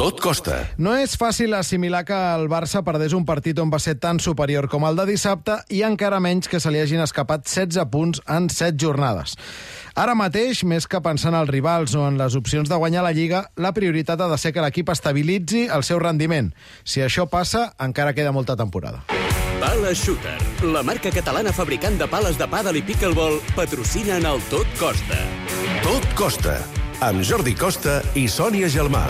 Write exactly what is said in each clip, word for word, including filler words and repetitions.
Tot costa. No és fàcil assimilar que el Barça perdés un partit on va ser tan superior com el de dissabte i encara menys que se li hagin escapat setze punts en set jornades. Ara mateix, més que pensar en els rivals o en les opcions de guanyar la Lliga, la prioritat ha de ser que l'equip estabilitzi el seu rendiment. Si això passa, encara queda molta temporada. Pala Shooter, la marca catalana fabricant de pales de pàdel i pickleball, patrocina en el Tot Costa. Tot costa, amb Jordi Costa i Sònia Gelmà.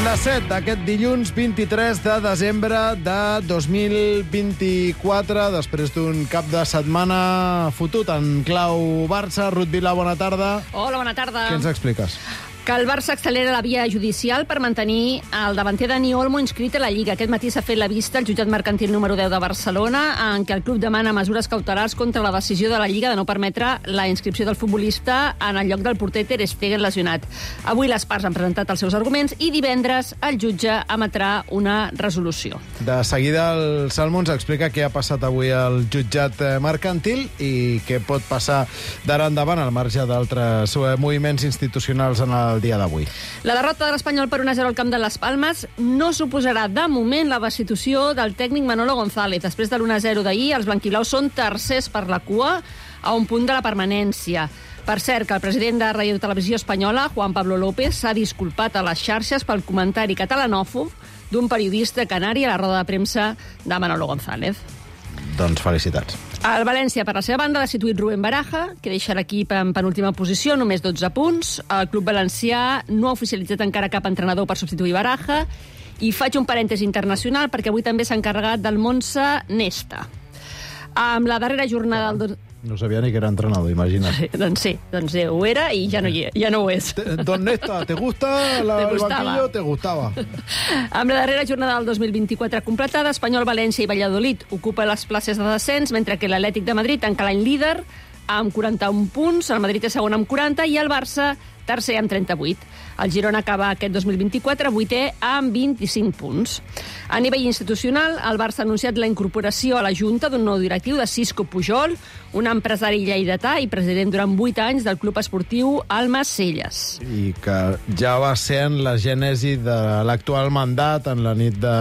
Les set d'aquest dilluns vint-i-tres de desembre de dos mil vint-i-quatre, després d'un cap de setmana fotut en clau Barça. Ruth Vila, bona tarda. Hola, bona tarda. Què ens expliques? Que el Barça accelera la via judicial per mantenir el davanter Dani Olmo inscrit a la Lliga. Aquest matí s'ha fet la vista al jutjat mercantil número deu de Barcelona, en què el club demana mesures cautelars contra la decisió de la Lliga de no permetre la inscripció del futbolista en el lloc del porter Ter Stegen lesionat. Avui les parts han presentat els seus arguments i divendres el jutge emetrà una resolució. De seguida el Salmo ens explica què ha passat avui al jutjat mercantil i què pot passar d'ara endavant al marge d'altres moviments institucionals en el el dia d'avui. La derrota de l'Espanyol per un a zero al camp de les Palmes no suposarà de moment la destitució del tècnic Manolo González. Després de l'u a zero d'ahir, els blanquiblaus són tercers per la cua a un punt de la permanència. Per cert, que el president de Radio Televisió Espanyola, Juan Pablo López, s'ha disculpat a les xarxes pel comentari catalanòfob d'un periodista canari a la roda de premsa de Manolo González. Doncs felicitats. El València, per la seva banda, ha destituït Rubén Baraja, que deixa l'equip en penúltima posició, només dotze punts. El club valencià no ha oficialitzat encara cap entrenador per substituir Baraja. I faig un parèntesi internacional, perquè avui també s'ha encarregat del Monza Nesta. Amb la darrera jornada del... No sabia ni que era entrenador, imagina't. Sí, doncs sí, doncs ho era i ja no, hi, ja no ho és. Don Nesta, ¿te gusta la, te el banquillo? Te gustaba. Amb la darrera jornada del dos mil vint-i-quatre completada, Espanyol, València i Valladolid ocupa les places de descens, mentre que l'Atlètic de Madrid tanca l'any líder amb quaranta-un punts, el Madrid és segon amb quaranta i el Barça tercer amb trenta-vuit. El Girona acaba aquest dos mil vint-i-quatre vuitè amb vint-i-cinc punts. A nivell institucional, el Barça ha anunciat la incorporació a la Junta d'un nou directiu de Cisco Pujol, un empresari lleidatà i president durant vuit anys del club esportiu Almacelles. I que ja va ser en la gènesi de l'actual mandat, en la nit, de,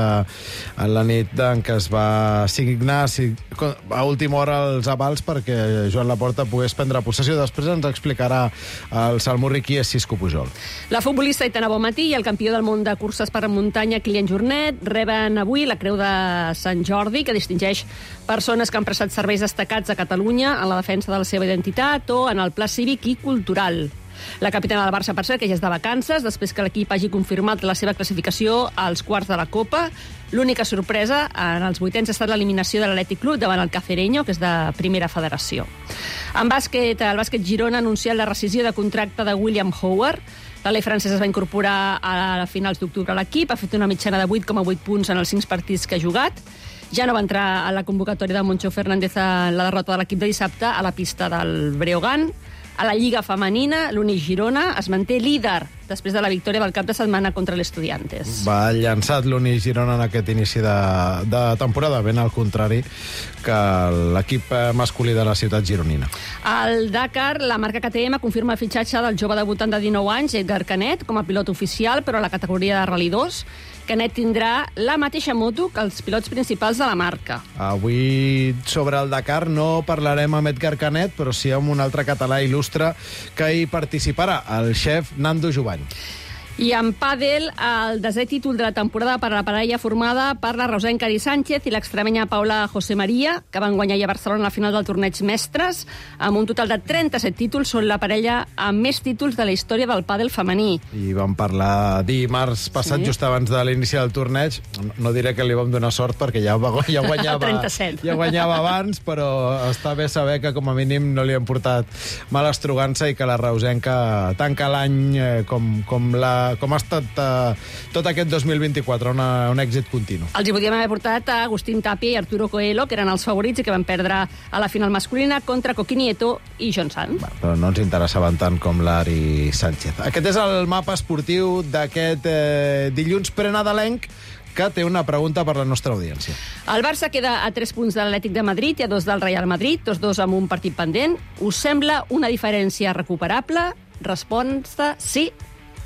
en la nit en què es va signar a última hora els avals perquè Joan Laporta pogués prendre possessió. Després ens explicarà el Salmurri qui és Cisco Pujol. La futbolista Aitana Bonmatí i el campió del món de curses per muntanya Kilian Jornet reben avui la Creu de Sant Jordi, que distingeix persones que han prestat serveis destacats a Catalunya en la defensa de la seva identitat o en el pla cívic i cultural. La capitana del Barça, per cert, que ja és de vacances, després que l'equip hagi confirmat la seva classificació als quarts de la Copa. L'única sorpresa en els vuitens ha estat l'eliminació de l'Atlètic Club davant el Cacereño, que és de primera federació. En bàsquet, el bàsquet Girona ha anunciat la rescisió de contracte de William Howard. L'alè francès es va incorporar a finals d'octubre a l'equip, ha fet una mitjana de vuit coma vuit punts en els cinc partits que ha jugat. Ja no va entrar a la convocatòria de Moncho Fernández en la derrota de l'equip de dissabte a la pista del Breogán. A la Lliga Femenina, l'Uni Girona es manté líder després de la victòria del cap de setmana contra l'Estudiantes. Va llançat l'Uni Girona en aquest inici de, de temporada, ben al contrari que l'equip masculí de la ciutat gironina. Al Dakar, la marca K T M confirma el fitxatge del jove debutant de dinou anys, Edgar Canet, com a pilot oficial, però a la categoria de Rally dos. Canet tindrà la mateixa moto que els pilots principals de la marca. Avui, sobre el Dakar, no parlarem amb Edgar Canet, però sí amb un altre català il·lustre que hi participarà, el xef Nando Jovany. I en pàdel, el desè títol de la temporada per a la parella formada per la rosenca Ari Sánchez i l'extremenya Paula José María, que van guanyar a Barcelona a la final del torneig Mestres, amb un total de trenta-set títols. Són la parella amb més títols de la història del pàdel femení. I vam parlar dimarts passat, sí, just abans de l'inici del torneig. No diré que li vam donar sort perquè ja, ja, guanyava, ja guanyava abans, però està bé saber que com a mínim no li han portat mala estrugança i que la reusenca tanca l'any eh, com, com la com ha estat uh, tot aquest dos mil vint-i-quatre, una, un èxit continu. Els hi podíem haver portat a Agustín Tapia i Arturo Coelho, que eren els favorits i que van perdre a la final masculina contra Coqui Nieto i John Sant. Bueno, però no ens interessaven tant com l'Ari Sánchez. Aquest és el mapa esportiu d'aquest eh, dilluns prenadalenc, que té una pregunta per la nostra audiència. El Barça queda a tres punts de l'Atlètic de Madrid i a dos del Real Madrid, tots dos amb un partit pendent. Us sembla una diferència recuperable? Resposta sí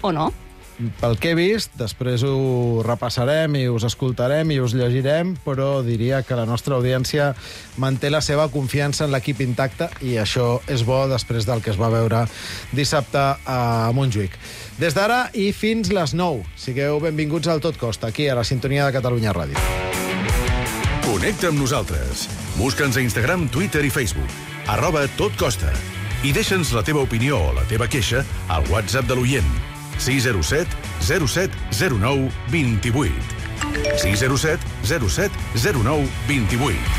o no? Pel que he vist, després ho repassarem i us escoltarem i us llegirem, però diria que la nostra audiència manté la seva confiança en l'equip intacte i això és bo després del que es va veure dissabte a Montjuïc. Des d'ara i fins les nou. Sigueu benvinguts al Tot Costa, aquí a la sintonia de Catalunya Ràdio. Connecta amb nosaltres. Busca'ns a Instagram, Twitter i Facebook. Arroba Tot Costa. I deixa'ns la teva opinió o la teva queixa al WhatsApp de l'oient. sis zero set zero set zero nou dos vuit. sis zero set zero set zero nou dos vuit.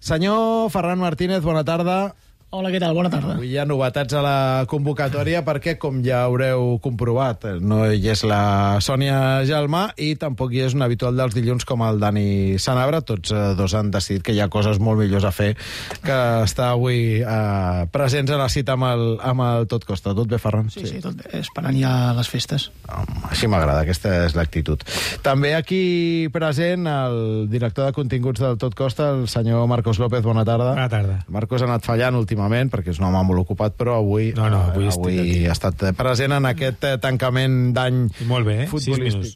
Senyor Ferran Martínez, bona tarda. Hola, què tal? Bona tarda. Avui hi ha novetats a la convocatòria perquè, com ja haureu comprovat, no hi és la Sònia Gelmà i tampoc hi és un habitual dels dilluns com el Dani Sanabra. Tots eh, dos han decidit que hi ha coses molt millors a fer que estar avui eh, presents a la cita amb el, amb el Tot Costa. Tot bé, Ferran? Sí, sí, sí, tot bé. Esperant ja les festes. Home, així m'agrada, aquesta és l'actitud. També aquí present el director de continguts del Tot Costa, el senyor Marcos López. Bona tarda. Bona tarda. Marcos ha anat fallant últimament perquè és un home molt ocupat, però avui, no, no, avui, eh, avui ha estat present en aquest eh, tancament d'any molt bé, eh? futbolístic.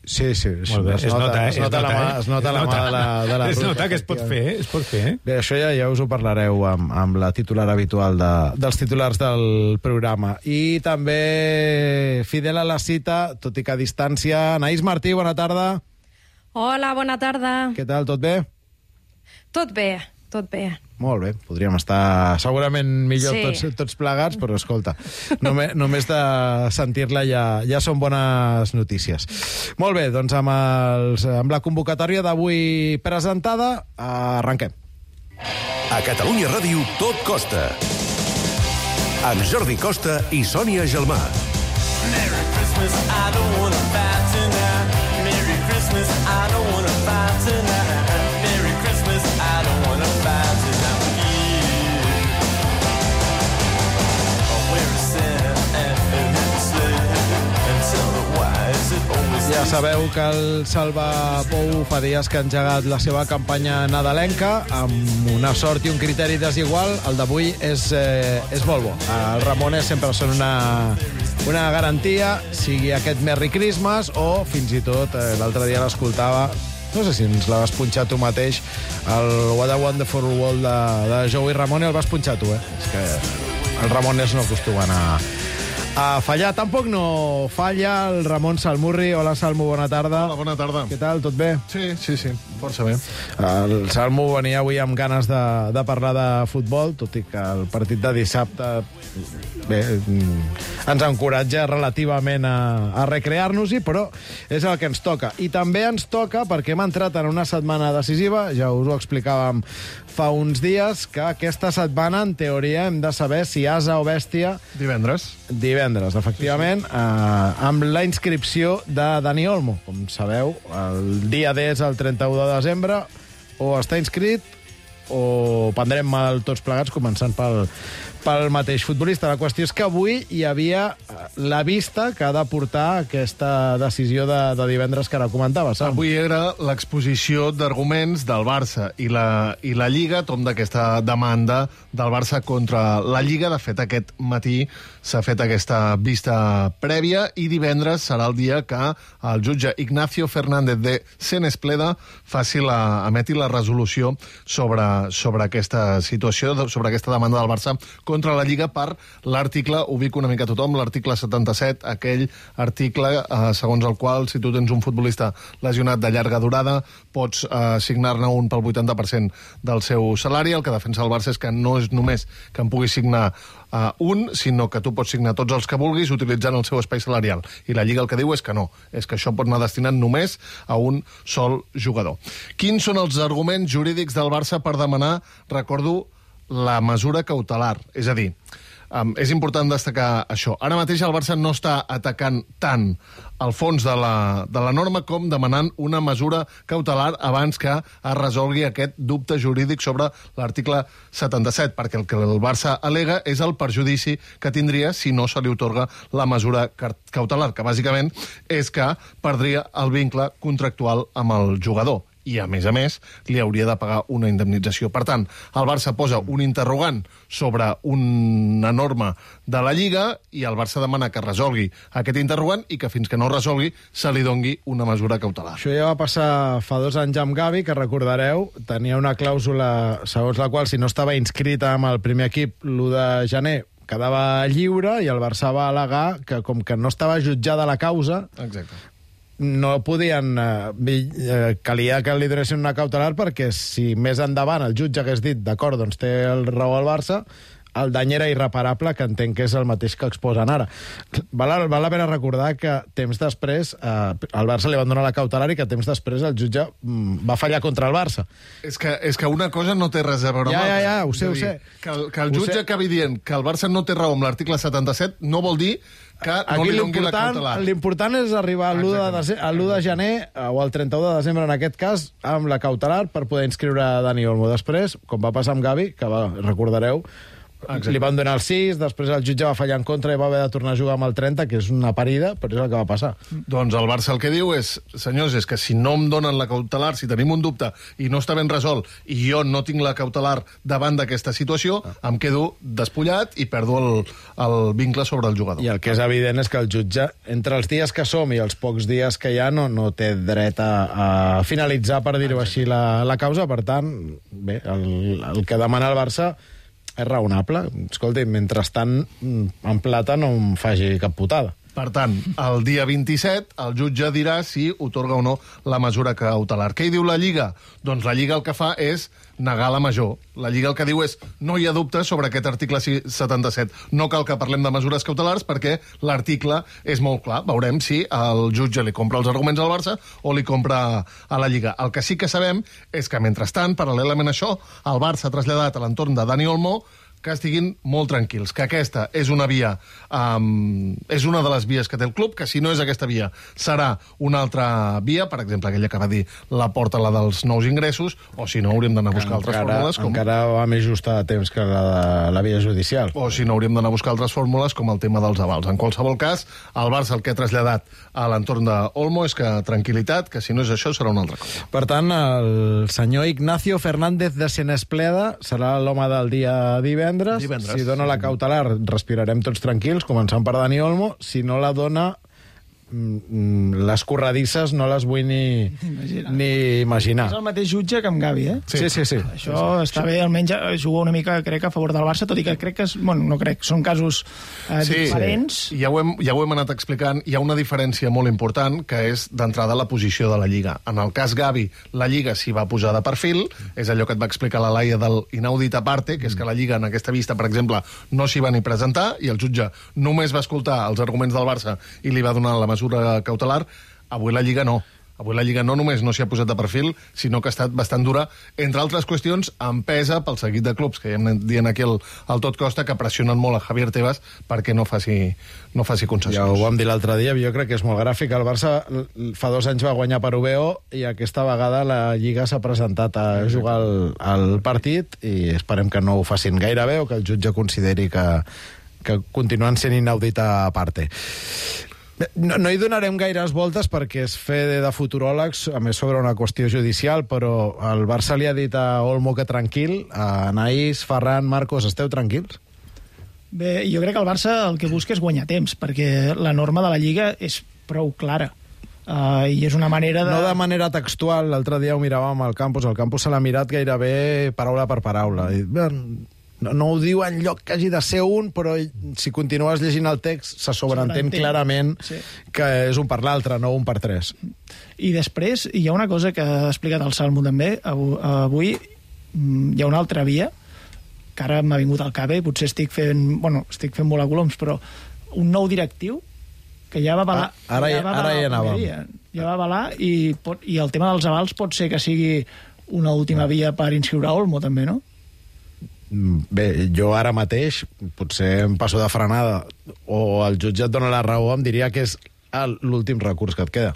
Sí, sí, es, Molt bé. es, nota, es, es nota, nota, la mà, eh? es nota es la nota. mà de la, de la es ruta. nota que es pot fer, eh? Es pot fer, eh? Bé, això ja, ja us ho parlareu amb, amb la titular habitual de, dels titulars del programa. I també fidel a la cita, tot i que a distància, Anaïs Martí, bona tarda. Hola, bona tarda. Què tal, tot bé? Tot bé, tot bé. Molt bé, podríem estar segurament millor Sí. tots, tots plegats, però escolta, només, només de sentir-la ja, ja són bones notícies. Molt bé, doncs amb, els, amb la convocatòria d'avui presentada, arrenquem. A Catalunya Ràdio, Tot Costa. Amb Jordi Costa i Sònia Gelmà. Merry Christmas, I don't wanna fight tonight. Merry Christmas, I don't wanna fight tonight. Merry Christmas, I don't wanna fight tonight with you. Oh, where is Santa and his sled? And tell me why is it always Ja sabeu que el Salva Pou fa dies que ha engegat la seva campanya nadalenca amb una sort i un criteri desigual. El d'avui és, eh, és molt bo. Els Ramones sempre són una, una garantia, sigui aquest Merry Christmas o fins i tot, eh, l'altre dia l'escoltava, no sé si ens la vas punxar tu mateix, el What a Wonderful World de, de Joey Ramone, el vas punxar tu, eh? És que els Ramones no acostumen a, a fallar. Tampoc no falla el Ramon Salmurri. Hola, Salmo, bona tarda. Hola, bona tarda. Què tal, tot bé? Sí, sí, sí, força bé. El Salmo venia avui amb ganes de, de parlar de futbol, tot i que el partit de dissabte bé, ens encoratja relativament a, a recrear-nos-hi, però és el que ens toca. I també ens toca perquè hem entrat en una setmana decisiva, ja us ho explicàvem fa uns dies, que aquesta setmana, en teoria, hem de saber si asa o bèstia... Divendres. Divendres, efectivament, sí, sí. Eh, amb la inscripció de Dani Olmo. Com sabeu, el dia D és el trenta-u de desembre, o està inscrit o prendrem mal tots plegats, començant pel, pel mateix futbolista. La qüestió és que avui hi havia la vista que ha de portar aquesta decisió de, de divendres que ara comentaves. Sam. Avui era l'exposició d'arguments del Barça i la, i la Lliga, tom d'aquesta demanda del Barça contra la Lliga. De fet, aquest matí s'ha fet aquesta vista prèvia i divendres serà el dia que el jutge Ignacio Fernández de Senespleda faci la, emeti la resolució sobre, sobre aquesta situació, sobre aquesta demanda del Barça contra la Lliga per l'article, ubico una mica a tothom, l'article setanta-set, aquell article eh, segons el qual si tu tens un futbolista lesionat de llarga durada pots eh, signar-ne un pel vuitanta per cent del seu salari. El que defensa el Barça és que no és només que en pugui signar uh, un, sinó que tu pots signar tots els que vulguis utilitzant el seu espai salarial. I la Lliga el que diu és que no, és que això pot anar destinat només a un sol jugador. Quins són els arguments jurídics del Barça per demanar, recordo, la mesura cautelar? És a dir, Um, és important destacar això. Ara mateix el Barça no està atacant tant al fons de la, de la norma com demanant una mesura cautelar abans que es resolgui aquest dubte jurídic sobre l'article setanta-set, perquè el que el Barça al·lega és el perjudici que tindria si no se li otorga la mesura cautelar, que bàsicament és que perdria el vincle contractual amb el jugador. I, a més a més, li hauria de pagar una indemnització. Per tant, el Barça posa un interrogant sobre una norma de la Lliga i el Barça demana que resolgui aquest interrogant i que fins que no resolgui se li dongui una mesura cautelar. Això ja va passar fa dos anys amb Gavi, que recordareu, tenia una clàusula segons la qual si no estava inscrita amb el primer equip l'u de gener quedava lliure i el Barça va al·legar que com que no estava jutjada la causa... Exacte. No podien... Eh, calia que li donessin una cautelar perquè si més endavant el jutge hagués dit d'acord, doncs té el raó al Barça, el dany era irreparable, que entenc que és el mateix que exposen ara. Val, val la pena recordar que temps després eh, al Barça li van donar la cautelar i que temps després el jutge mm, va fallar contra el Barça. És que, és que una cosa no té res a veure amb Ja, ja, l'altra. ja, ho sé, ho sé. Que el, que el Ho jutge sé. acabi dient que el Barça no té raó amb l'article setanta-set no vol dir que no Aquí li doni la l'important cautelar. l'important és arribar a l'u de, dece- a l'u de gener eh, o al trenta-u de desembre, en aquest cas, amb la cautelar per poder inscriure Dani Olmo. Després, com va passar amb Gavi, que va, recordareu, Exacte. li van donar el sis, després el jutge va fallar en contra i va haver de tornar a jugar amb el trenta, que és una parida, però és el que va passar. Doncs el Barça el que diu és, senyors, és que si no em donen la cautelar, si tenim un dubte i no està ben resolt i jo no tinc la cautelar davant d'aquesta situació, em quedo despullat i perdo el, el vincle sobre el jugador. I el que és evident és que el jutge, entre els dies que som i els pocs dies que hi ha, no, no té dret a, a finalitzar, per dir-ho així, la, la causa. Per tant, bé, el, el que demana el Barça és raonable. Escolti, mentrestant, en plata no em faci cap putada. Per tant, el dia vint-i-set el jutge dirà si otorga o no la mesura cautelar. Què hi diu la Lliga? Doncs la Lliga el que fa és negar la major. La Lliga el que diu és no hi ha dubte sobre aquest article setanta-set. No cal que parlem de mesures cautelars perquè l'article és molt clar. Veurem si el jutge li compra els arguments al Barça o li compra a la Lliga. El que sí que sabem és que, mentrestant, paral·lelament a això, el Barça ha traslladat a l'entorn de Dani Olmo que estiguin molt tranquils, que aquesta és una via, um, és una de les vies que té el club, que si no és aquesta via serà una altra via, per exemple, aquella que va dir la porta, la dels nous ingressos, o si no hauríem d'anar a buscar altres encara, fórmules. Com... Encara va més just a temps que la de la via judicial. O si no hauríem d'anar a buscar altres fórmules, com el tema dels avals. En qualsevol cas, el Barça el que ha traslladat a l'entorn d'Olmo és que tranquil·litat, que si no és això serà una altra cosa. Per tant, el senyor Ignacio Fernández de Senespleda serà l'home del dia divendres. Divendres. Si dona la cautelar, respirarem tots tranquils, començant per Dani Olmo. Si no la dona, mm, les corredisses no les vull ni Imagina. ni imaginar. És el mateix jutge que amb Gavi, eh? Sí, sí, sí. Això està bé, almenys juga una mica, crec, a favor del Barça, tot i que crec que, és, bueno, no crec, són casos eh, Sí, diferents. ja ho, hem, ja ho hem anat explicant. Hi ha una diferència molt important, que és d'entrada la posició de la Lliga. En el cas Gavi, la Lliga s'hi va posar de perfil, és allò que et va explicar la Laia del inaudit aparte, que és que la Lliga en aquesta vista, per exemple, no s'hi va ni presentar, i el jutge només va escoltar els arguments del Barça i li va donar la mesura cautelar. Avui la Lliga no. Avui la Lliga no només no s'hi ha posat de perfil, sinó que ha estat bastant dura, entre altres qüestions, empesa pel seguit de clubs, que ja hem anat dient aquí al, al Tot Costa, que pressionen molt a Javier Tebas perquè no faci, no faci concessions. Ja ho vam dir l'altre dia, jo crec que és molt gràfic. El Barça fa dos anys va guanyar per U B O i aquesta vegada la Lliga s'ha presentat a jugar el, el partit i esperem que no ho facin gaire bé o que el jutge consideri que, que continuen sent inaudita a parte. No, no hi donarem gaires voltes perquè és fe de futuròlegs, a més sobre una qüestió judicial, però el Barça li ha dit a Olmo que tranquil, a Anaïs, Ferran, Marcos, esteu tranquils? Bé, jo crec que el Barça el que busca és guanyar temps, perquè la norma de la Lliga és prou clara. Uh, I és una manera de... No de manera textual, l'altre dia ho miràvem al campus, el campus se l'ha mirat gairebé paraula per paraula. I, bé, no, no ho diu en lloc que hagi de ser un, però si continues llegint el text se sobreentén clarament sí. que és un per l'altre, no un per tres. I després hi ha una cosa que ha explicat el Salmo també, avui hi ha una altra via, que ara m'ha vingut al cap, eh? Potser estic fent, bueno, estic fent volar coloms, però un nou directiu que ja va avalar... Ah, ara, ja va ara hi anàvem. Ja va avalar i, pot, i el tema dels avals pot ser que sigui una última via per inscriure Olmo, també, no? Bé, jo ara mateix, potser em passo de frenada, o el jutge et dona la raó, em diria que és el- l'últim recurs que et queda.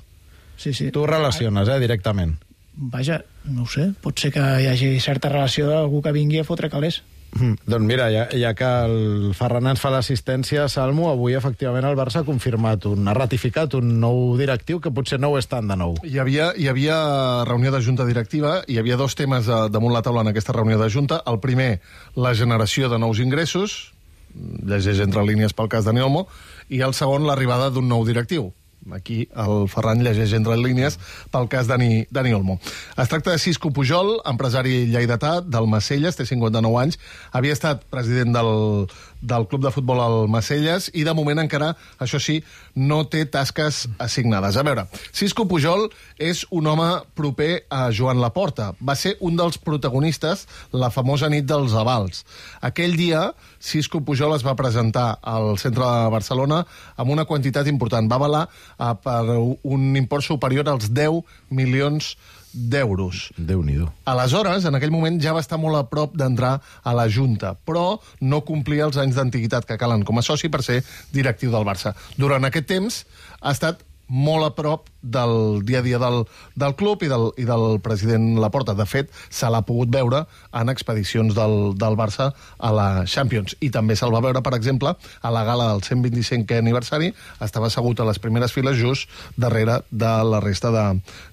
Sí, sí. Tu ho relaciones, eh, directament. Vaja, no ho sé, pot ser que hi hagi certa relació d'algú que vingui a fotre calés. Mm, doncs mira, ja, ja que el Ferran ens fa l'assistència, Salmo, avui efectivament el Barça ha confirmat, un, ha ratificat un nou directiu que potser no ho és tant de nou. Hi havia, hi havia reunió de junta directiva, hi havia dos temes eh, damunt la taula en aquesta reunió de junta. El primer, la generació de nous ingressos, llegeix entre línies pel cas Dani Olmo, i el segon, l'arribada d'un nou directiu. Aquí el Ferran llegeix entre línies pel cas Dani, Dani Olmo. Es tracta de Cisco Pujol, empresari lleidatà del Macelles, té cinquanta-nou anys, havia estat president del, del club de futbol al Macelles i de moment encara, això sí, no té tasques assignades. A veure, Cisco Pujol és un home proper a Joan Laporta. Va ser un dels protagonistes la famosa nit dels avals. Aquell dia, Cisco Pujol es va presentar al centre de Barcelona amb una quantitat important. Va avalar eh, per un import superior als deu milions d'euros. Déu-n'hi-do. Aleshores, en aquell moment ja va estar molt a prop d'entrar a la Junta, però no complia els anys d'antiguitat que calen com a soci per ser directiu del Barça. Durant aquest temps ha estat molt a prop del dia a dia del, del club i del, i del president Laporta. De fet, se l'ha pogut veure en expedicions del, del Barça a la Champions. I també se'l va veure, per exemple, a la gala del cent vint-i-cinquè aniversari. Estava assegut a les primeres files just darrere de la resta de,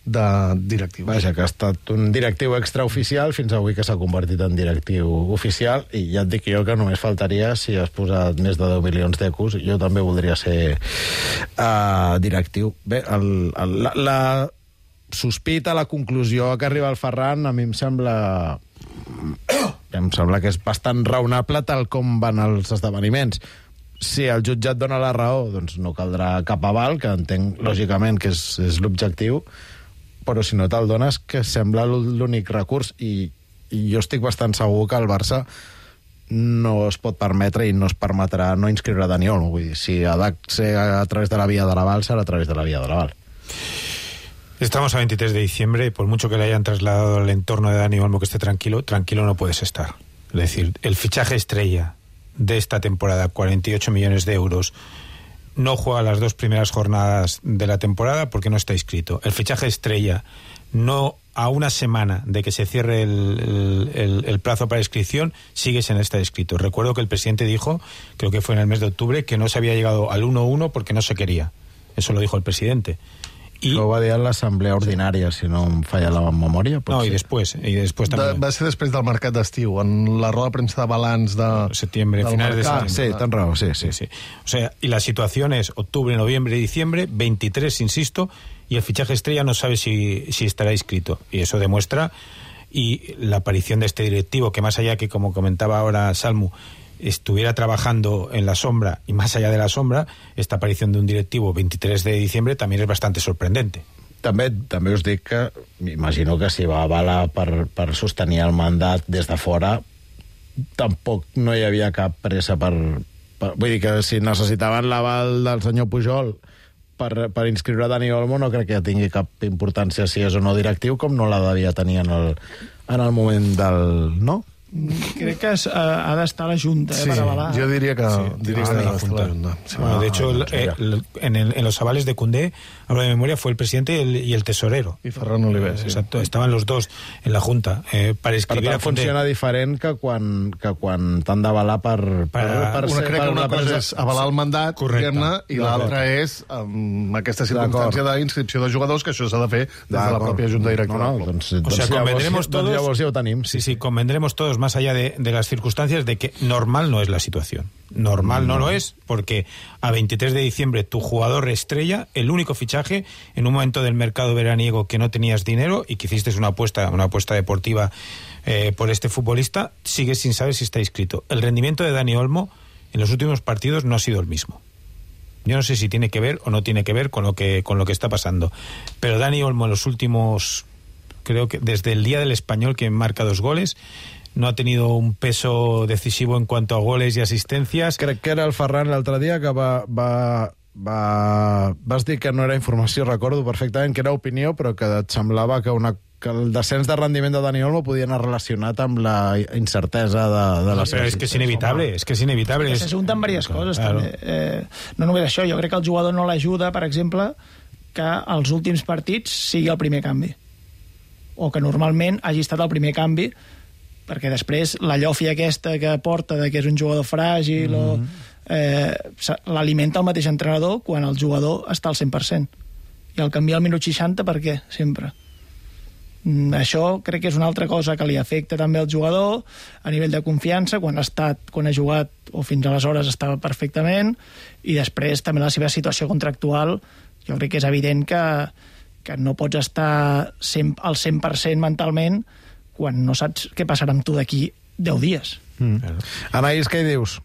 de directius. Vaja, que ha estat un directiu extraoficial fins avui que s'ha convertit en directiu oficial, i ja et dic jo que només faltaria si has posat més de deu milions d'ecos. Jo també voldria ser uh, directiu. Bé, el, el, la, la sospita, la conclusió a què arriba el Ferran, a mi em sembla em sembla que és bastant raonable tal com van els esdeveniments. Si el jutjat dona la raó, doncs no caldrà cap aval, que entenc lògicament que és, és l'objectiu, però si no te'l dones, que sembla l'únic recurs, i, i jo estic bastant segur que el Barça no es pot permetre i no es permetrà no inscriure a Dani Olmo. Vull dir, si ha de ser a través de la vía de l'aval, serà a través de la vía de l'aval. Estamos a veintitrés de diciembre y por mucho que le hayan trasladado al entorno de Dani Olmo que esté tranquilo, tranquilo no puedes estar. Es decir, el fichaje estrella de esta temporada, cuarenta y ocho millones de euros, no juega las dos primeras jornadas de la temporada porque no está inscrito. El fichaje estrella, no a una semana de que se cierre el, el, el plazo para inscripción, sigues en este inscrito. Recuerdo que el presidente dijo, creo que fue en el mes de octubre, que no se había llegado al uno uno porque no se quería. Eso lo dijo el presidente. I... Això ho va dir a l'assemblea ordinària, si no em falla la memòria. No, i després, i després també. De, va ser després del mercat d'estiu, en la roda de premsa de balanç de... Septiembre, finales de septiembre. Sí, tan raó, sí, sí, sí. O sea, y la situación es octubre, noviembre y diciembre, veintitrés, insisto, y el fichaje estrella no sabe si, si estará inscrito. Y eso demuestra, y la aparición de este directivo, que más allá que, como comentaba ahora Salmu, estuviera trabajando en la sombra y más allá de la sombra, esta aparición de un directivo veintitrés de diciembre también es bastante sorprendente. També, també us dic que m'imagino que si va avalar per, per sostenir el mandat des de fora, tampoc no hi havia cap pressa per, per... Vull dir que si necessitaven l'aval del senyor Pujol per, per inscriure Dani Olmo, no crec que tingui cap importància si és o no directiu, com no la devia tenir en el, en el moment del... no? Crec que es, uh, ha d'estar la Junta, eh, sí, para avalar. Yo diría que, sí, diría que la ha d'estar la Junta. Sí. Bueno, de Ah, hecho, el, el, en, el, en los avales de Koundé, hablo de memoria, fue el presidente y el, y el tesorero. Y Ferran Oliver, sí. Exacto, estaban los dos en la Junta. Eh, para escribir per a tant, Koundé. funciona diferent que quan, que quan t'han d'avalar per, per, Per- per Una ser... crec per que una cosa presa- és avalar el mandat, Correcte. dir-ne, i l'altra és amb aquesta circumstància d'inscripció de jugadors, que això s'ha de fer des de la D'acord. pròpia Junta Directiva. No, no, del club. doncs, O doncs sea, llavors, convendremos doncs todos... llavors ja ho tenim. Sí, sí, convendremos todos, más allá de, de las circunstancias, de que normal no es la situación. Normal no lo es, porque a veintitrés de diciembre tu jugador estrella, el único fichaje, en un momento del mercado veraniego que no tenías dinero y que hiciste una apuesta, una apuesta deportiva eh, por este futbolista, sigues sin saber si está inscrito. El rendimiento de Dani Olmo en los últimos partidos no ha sido el mismo. Yo no sé si tiene que ver o no tiene que ver con lo que, con lo que está pasando. Pero Dani Olmo en los últimos, creo que desde el día del Español, que marca dos goles, no ha tenido un peso decisivo en cuanto a goles y asistencias. Crec que era el Ferran l'altre dia que va, va, va... Vas dir que no era informació, recordo perfectament que era opinió, però que et semblava que una que el descens de rendiment de Dani Olmo podia anar relacionat amb la incertesa de, de la Però és que és inevitable, és que és inevitable. Se junten diverses coses, claro. també. Eh, no només això, jo crec que el jugador no l'ajuda, per exemple, que als últims partits sigui el primer canvi. O que normalment hagi estat el primer canvi, perquè després la llofia aquesta que porta de que és un jugador fràgil mm-hmm. o eh, l'alimenta el mateix entrenador quan el jugador està al cent per cent. I el canviar al minut seixanta, per què? Sempre. Això crec que és una altra cosa que li afecta també al jugador a nivell de confiança, quan ha estat, quan ha jugat o fins aleshores estava perfectament, i després també la seva situació contractual. Jo crec que és evident que, que no pots estar al cent per cent mentalment quan no saps què passarà amb tu d'aquí deu dies. Mm. Anaïs, què hi dius?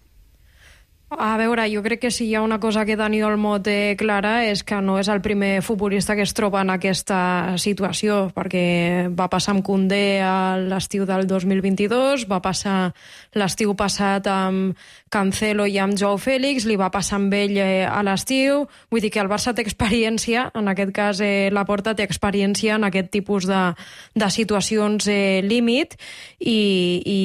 A veure, jo crec que si hi ha una cosa que Dani Olmo té clara és que no és el primer futbolista que es troba en aquesta situació, perquè va passar amb Koundé a l'estiu del dos mil vint-i-dos, va passar l'estiu passat amb Cancelo i amb Joao Félix, li va passar amb ell eh, a l'estiu, vull dir que el Barça té experiència, en aquest cas eh, Laporta té experiència en aquest tipus de, de situacions eh, límit, i, i,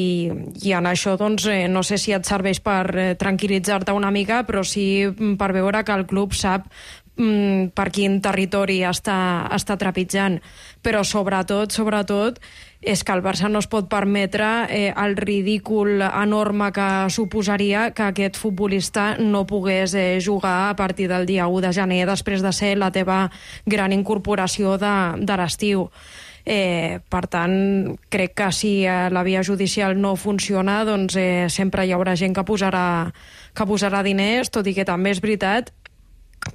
i en això doncs, eh, no sé si et serveix per eh, tranquil·litzar una mica, però sí per veure que el club sap mm, per quin territori està, està trepitjant. Però sobretot, sobretot, és que el Barça no es pot permetre eh, el ridícul enorme que suposaria que aquest futbolista no pogués eh, jugar a partir del dia u de gener, després de ser la teva gran incorporació de, de l'estiu. Eh, per tant, crec que si eh, la via judicial no funciona, doncs eh, sempre hi haurà gent que posarà, que posarà diners, tot i que també és veritat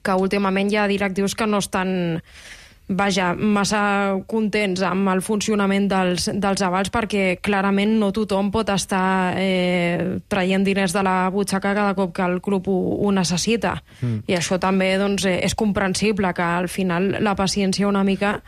que últimament hi ha directius que no estan, vaja, massa contents amb el funcionament dels, dels avals, perquè clarament no tothom pot estar eh, traient diners de la butxaca cada cop que el club ho, ho necessita. Mm. I això també doncs, eh, és comprensible, que al final la paciència una mica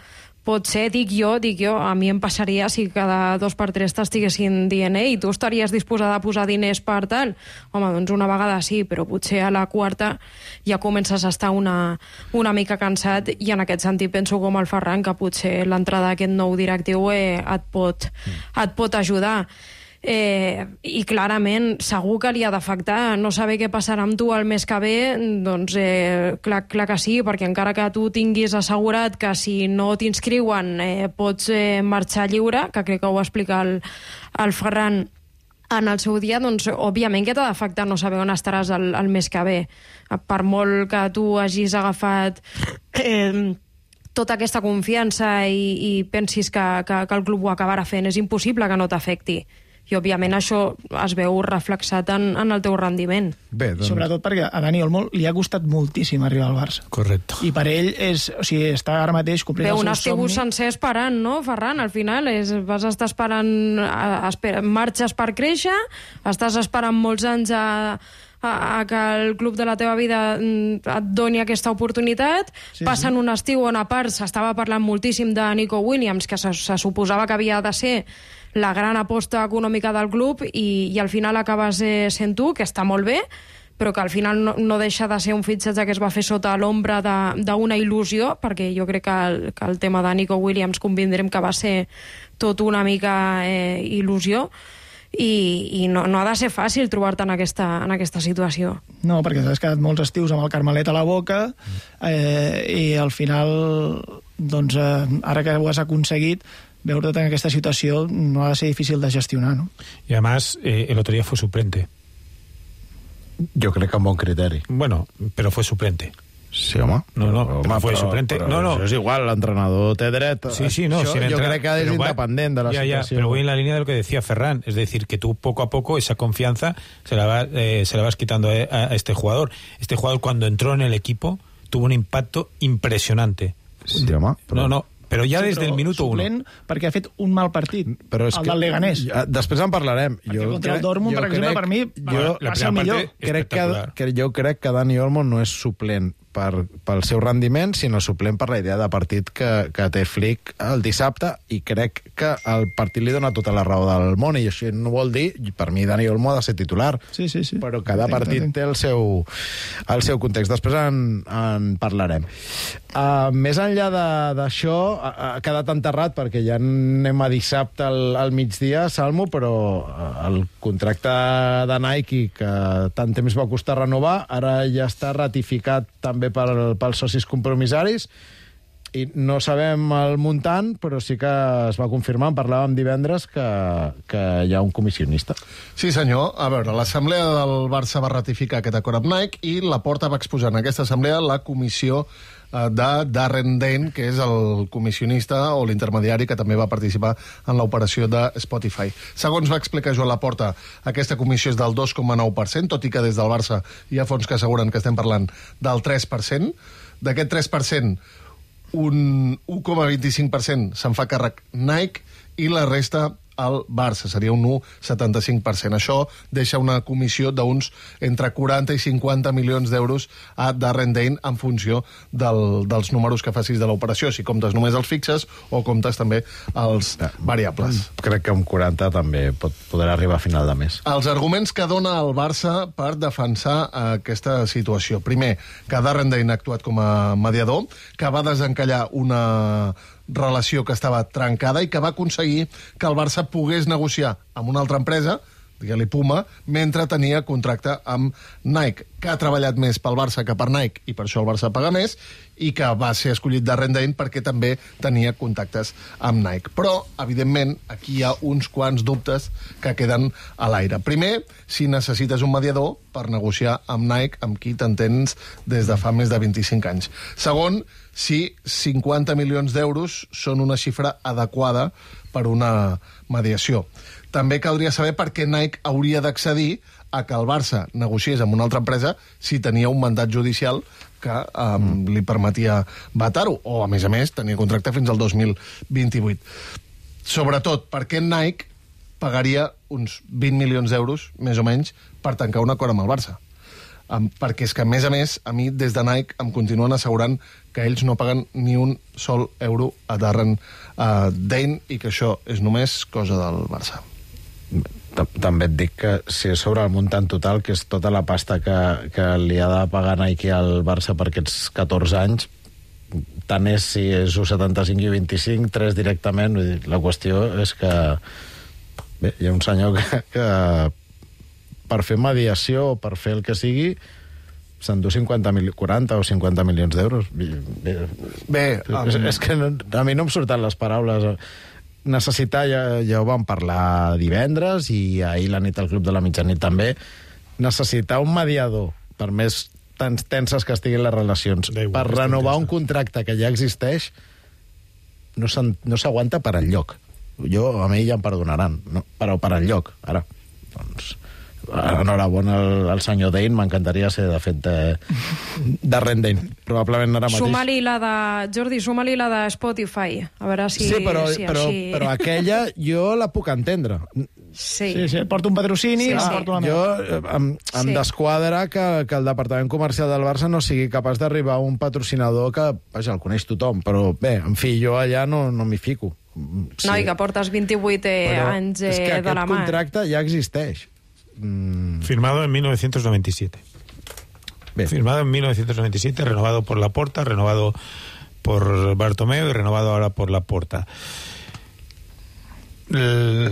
pot ser, dic jo, dic jo, a mi em passaria si cada dos per tres t'estiguessin dient ei, tu estaries disposada a posar diners per tal? Home, doncs una vegada sí, però potser a la quarta ja comences a estar una, una mica cansat, i en aquest sentit penso com el Ferran, que potser l'entrada d'aquest nou directiu eh, et, pot, et pot ajudar. Eh, i clarament segur que li ha d'afectar no saber què passarà amb tu el mes que ve, doncs eh, clar, clar que sí, perquè encara que tu tinguis assegurat que si no t'inscriuen eh, pots eh, marxar lliure, que crec que ho va explicar el, el Ferran en el seu dia, doncs òbviament que t'ha d'afectar no saber on estaràs el, el mes que ve, per molt que tu hagis agafat eh, tota aquesta confiança i, i pensis que, que, que el club ho acabarà fent, és impossible que no t'afecti. I, òbviament, això es veu reflexat en, en el teu rendiment. Bé, doncs... Sobretot perquè a Dani Olmo li ha costat moltíssim arribar al Barça. Correcte. I per ell és, o sigui, està ara mateix complint Bé, el seu somni. un estiu sencer esperant, no, Ferran? Al final és, vas estar esperant, a, espera, marxes per créixer, estàs esperant molts anys a, a, a que el club de la teva vida et doni aquesta oportunitat, sí, passen sí. un estiu on a part s'estava parlant moltíssim de Nico Williams, que se, se suposava que havia de ser la gran aposta econòmica del club, i, i al final acabes eh, sent tu, que està molt bé, però que al final no, no deixa de ser un fitxatge que es va fer sota l'ombra d'una il·lusió, perquè jo crec que el, que el tema de Nico Williams convindrem que va ser tot una mica eh, il·lusió, i, i no, no ha de ser fàcil trobar-te en aquesta, en aquesta situació. No, perquè t'has quedat molts estius amb el Carmelet a la boca, eh, i al final, doncs, eh, ara que ho has aconseguit, veure't en aquesta situació no ha de ser difícil de gestionar, ¿no? Y además, eh, el otro día fue suplente. Jo crec que amb bon criteri. Bueno, pero fue suplente. Sí, home. No, no, però, però home, fue però, suplente. Però no, no. Això és igual, l'entrenador té dret. Sí, sí, no. Això, si jo entra... crec que és pero independent de la ya, situació. Ya, pero voy en la línea de lo que decía Ferran. Es decir, que tú poco a poco esa confianza se la, va, eh, se la vas quitando a, a este jugador. Este jugador, cuando entró en el equipo, tuvo un impacto impresionante. Sí, home. Però... No, no. Però ja sí, des del minuto suplent, uno. perquè ha fet un mal partit, però és el que, del Leganés. Després en parlarem. Perquè jo contra crec, el Dortmund, per exemple, crec, per mi, jo, va, va ser el millor. Crec que, que jo crec que Dani Olmo no és suplent per, pel seu rendiment, sinó suplent per la idea de partit que, que té Flick el dissabte, i crec que el partit li dona tota la raó del món, i això no vol dir, per mi Dani Olmo ha de ser titular, sí, sí, sí. però cada Entenc, partit entenc. té el seu, el seu context. Després en, en parlarem. Uh, més enllà d'això, ha, ha quedat enterrat, perquè ja anem a dissabte al, al migdia, Salmo, però uh, el contracte de Nike, que tant temps va costar renovar, ara ja està ratificat també per, pels socis compromissaris, i no sabem el muntant, però sí que es va confirmar, en parlàvem divendres, que, que hi ha un comissionista. Sí, senyor. A veure, l'assemblea del Barça va ratificar aquest acord amb Nike i Laporta va exposar en aquesta assemblea la comissió de Darren Dane, que és el comissionista o l'intermediari que també va participar en l'operació de Spotify. Segons va explicar Joan Laporta, aquesta comissió és del dos coma nou per cent, tot i que des del Barça hi ha fons que asseguren que estem parlant del tres per cent. D'aquest tres per cent, un u coma vint-i-cinc per cent se'n fa càrrec Nike i la resta al Barça, seria un u coma setanta-cinc per cent. Això deixa una comissió d'uns entre quaranta i cinquanta milions d'euros a Darren Dane en funció del, dels números que facis de l'operació, si comptes només els fixes o comptes també els variables. Crec que amb quaranta també pot poder arribar a final de mes. Els arguments que dona el Barça per defensar aquesta situació. Primer, que Darren Dane ha actuat com a mediador, que va desencallar una relació que estava trencada i que va aconseguir que el Barça pogués negociar amb una altra empresa, digue-li Puma, mentre tenia contracte amb Nike, que ha treballat més pel Barça que per Nike i per això el Barça paga més, i que va ser escollit Darren Dane perquè també tenia contactes amb Nike. Però, evidentment, aquí hi ha uns quants dubtes que queden a l'aire. Primer, si necessites un mediador per negociar amb Nike, amb qui t'entens des de fa més de vint-i-cinc anys. Segon, si cinquanta milions d'euros són una xifra adequada per una mediació. També caldria saber per què Nike hauria d'accedir a que el Barça negociés amb una altra empresa si tenia un mandat judicial que um, li permetia vetar-ho, o, a més a més, tenia contracte fins al dos mil vint-i-vuit. Sobretot, per què Nike pagaria uns vint milions d'euros, més o menys, per tancar un acord amb el Barça? Um, perquè és que, a més a més, a mi, des de Nike, em continuen assegurant que ells no paguen ni un sol euro a Darren uh, Dane i que això és només cosa del Barça. També et dic que si és sobre el muntant total, que és tota la pasta que, que li ha de pagar Nike al Barça per aquests catorze anys, tant és si és u coma setanta-cinc i vint-i-cinc, tres directament. Vull dir, la qüestió és que bé, hi ha un senyor que, que per fer mediació o per fer el que sigui s'endú cinquanta mil, quaranta o cinquanta milions d'euros. Bé, Bé és, és que no, a mi no em surten les paraules. Necessitar, ja, ja ho vam parlar divendres i ahir la nit al Club de la Mitjanit també, necessitar un mediador, per més tan tenses que estiguin les relacions, per renovar un contracte que ja existeix, no s'aguanta per enlloc. Jo, a mi ja em perdonaran, no? Però per enlloc, ara. Doncs, enhorabona al, al senyor Dane, m'encantaria ser, de fet, de, de Rendane. Probablement ara mateix... Suma-li la de... Jordi, suma-li la de Spotify. A veure si... Sí, però, si però, així... però aquella jo la puc entendre. Sí. Sí, sí, porta un patrocini, Sí, sí, sí. porta una Jo meva. em, em Sí. desquadra que, que el Departament Comercial del Barça no sigui capaç d'arribar a un patrocinador que, vaja, el coneix tothom, però bé, en fi, jo allà no, no m'hi fico. Sí. No, i que portes vint-i-vuit eh, Però anys eh, és que de aquest la mà. contracte ja existeix. Mm, Firmado en mil novecientos noventa y siete. bé. Firmado en mil novecientos noventa y siete, renovado por Laporta, renovado por Bartomeu y renovado ahora por Laporta. El-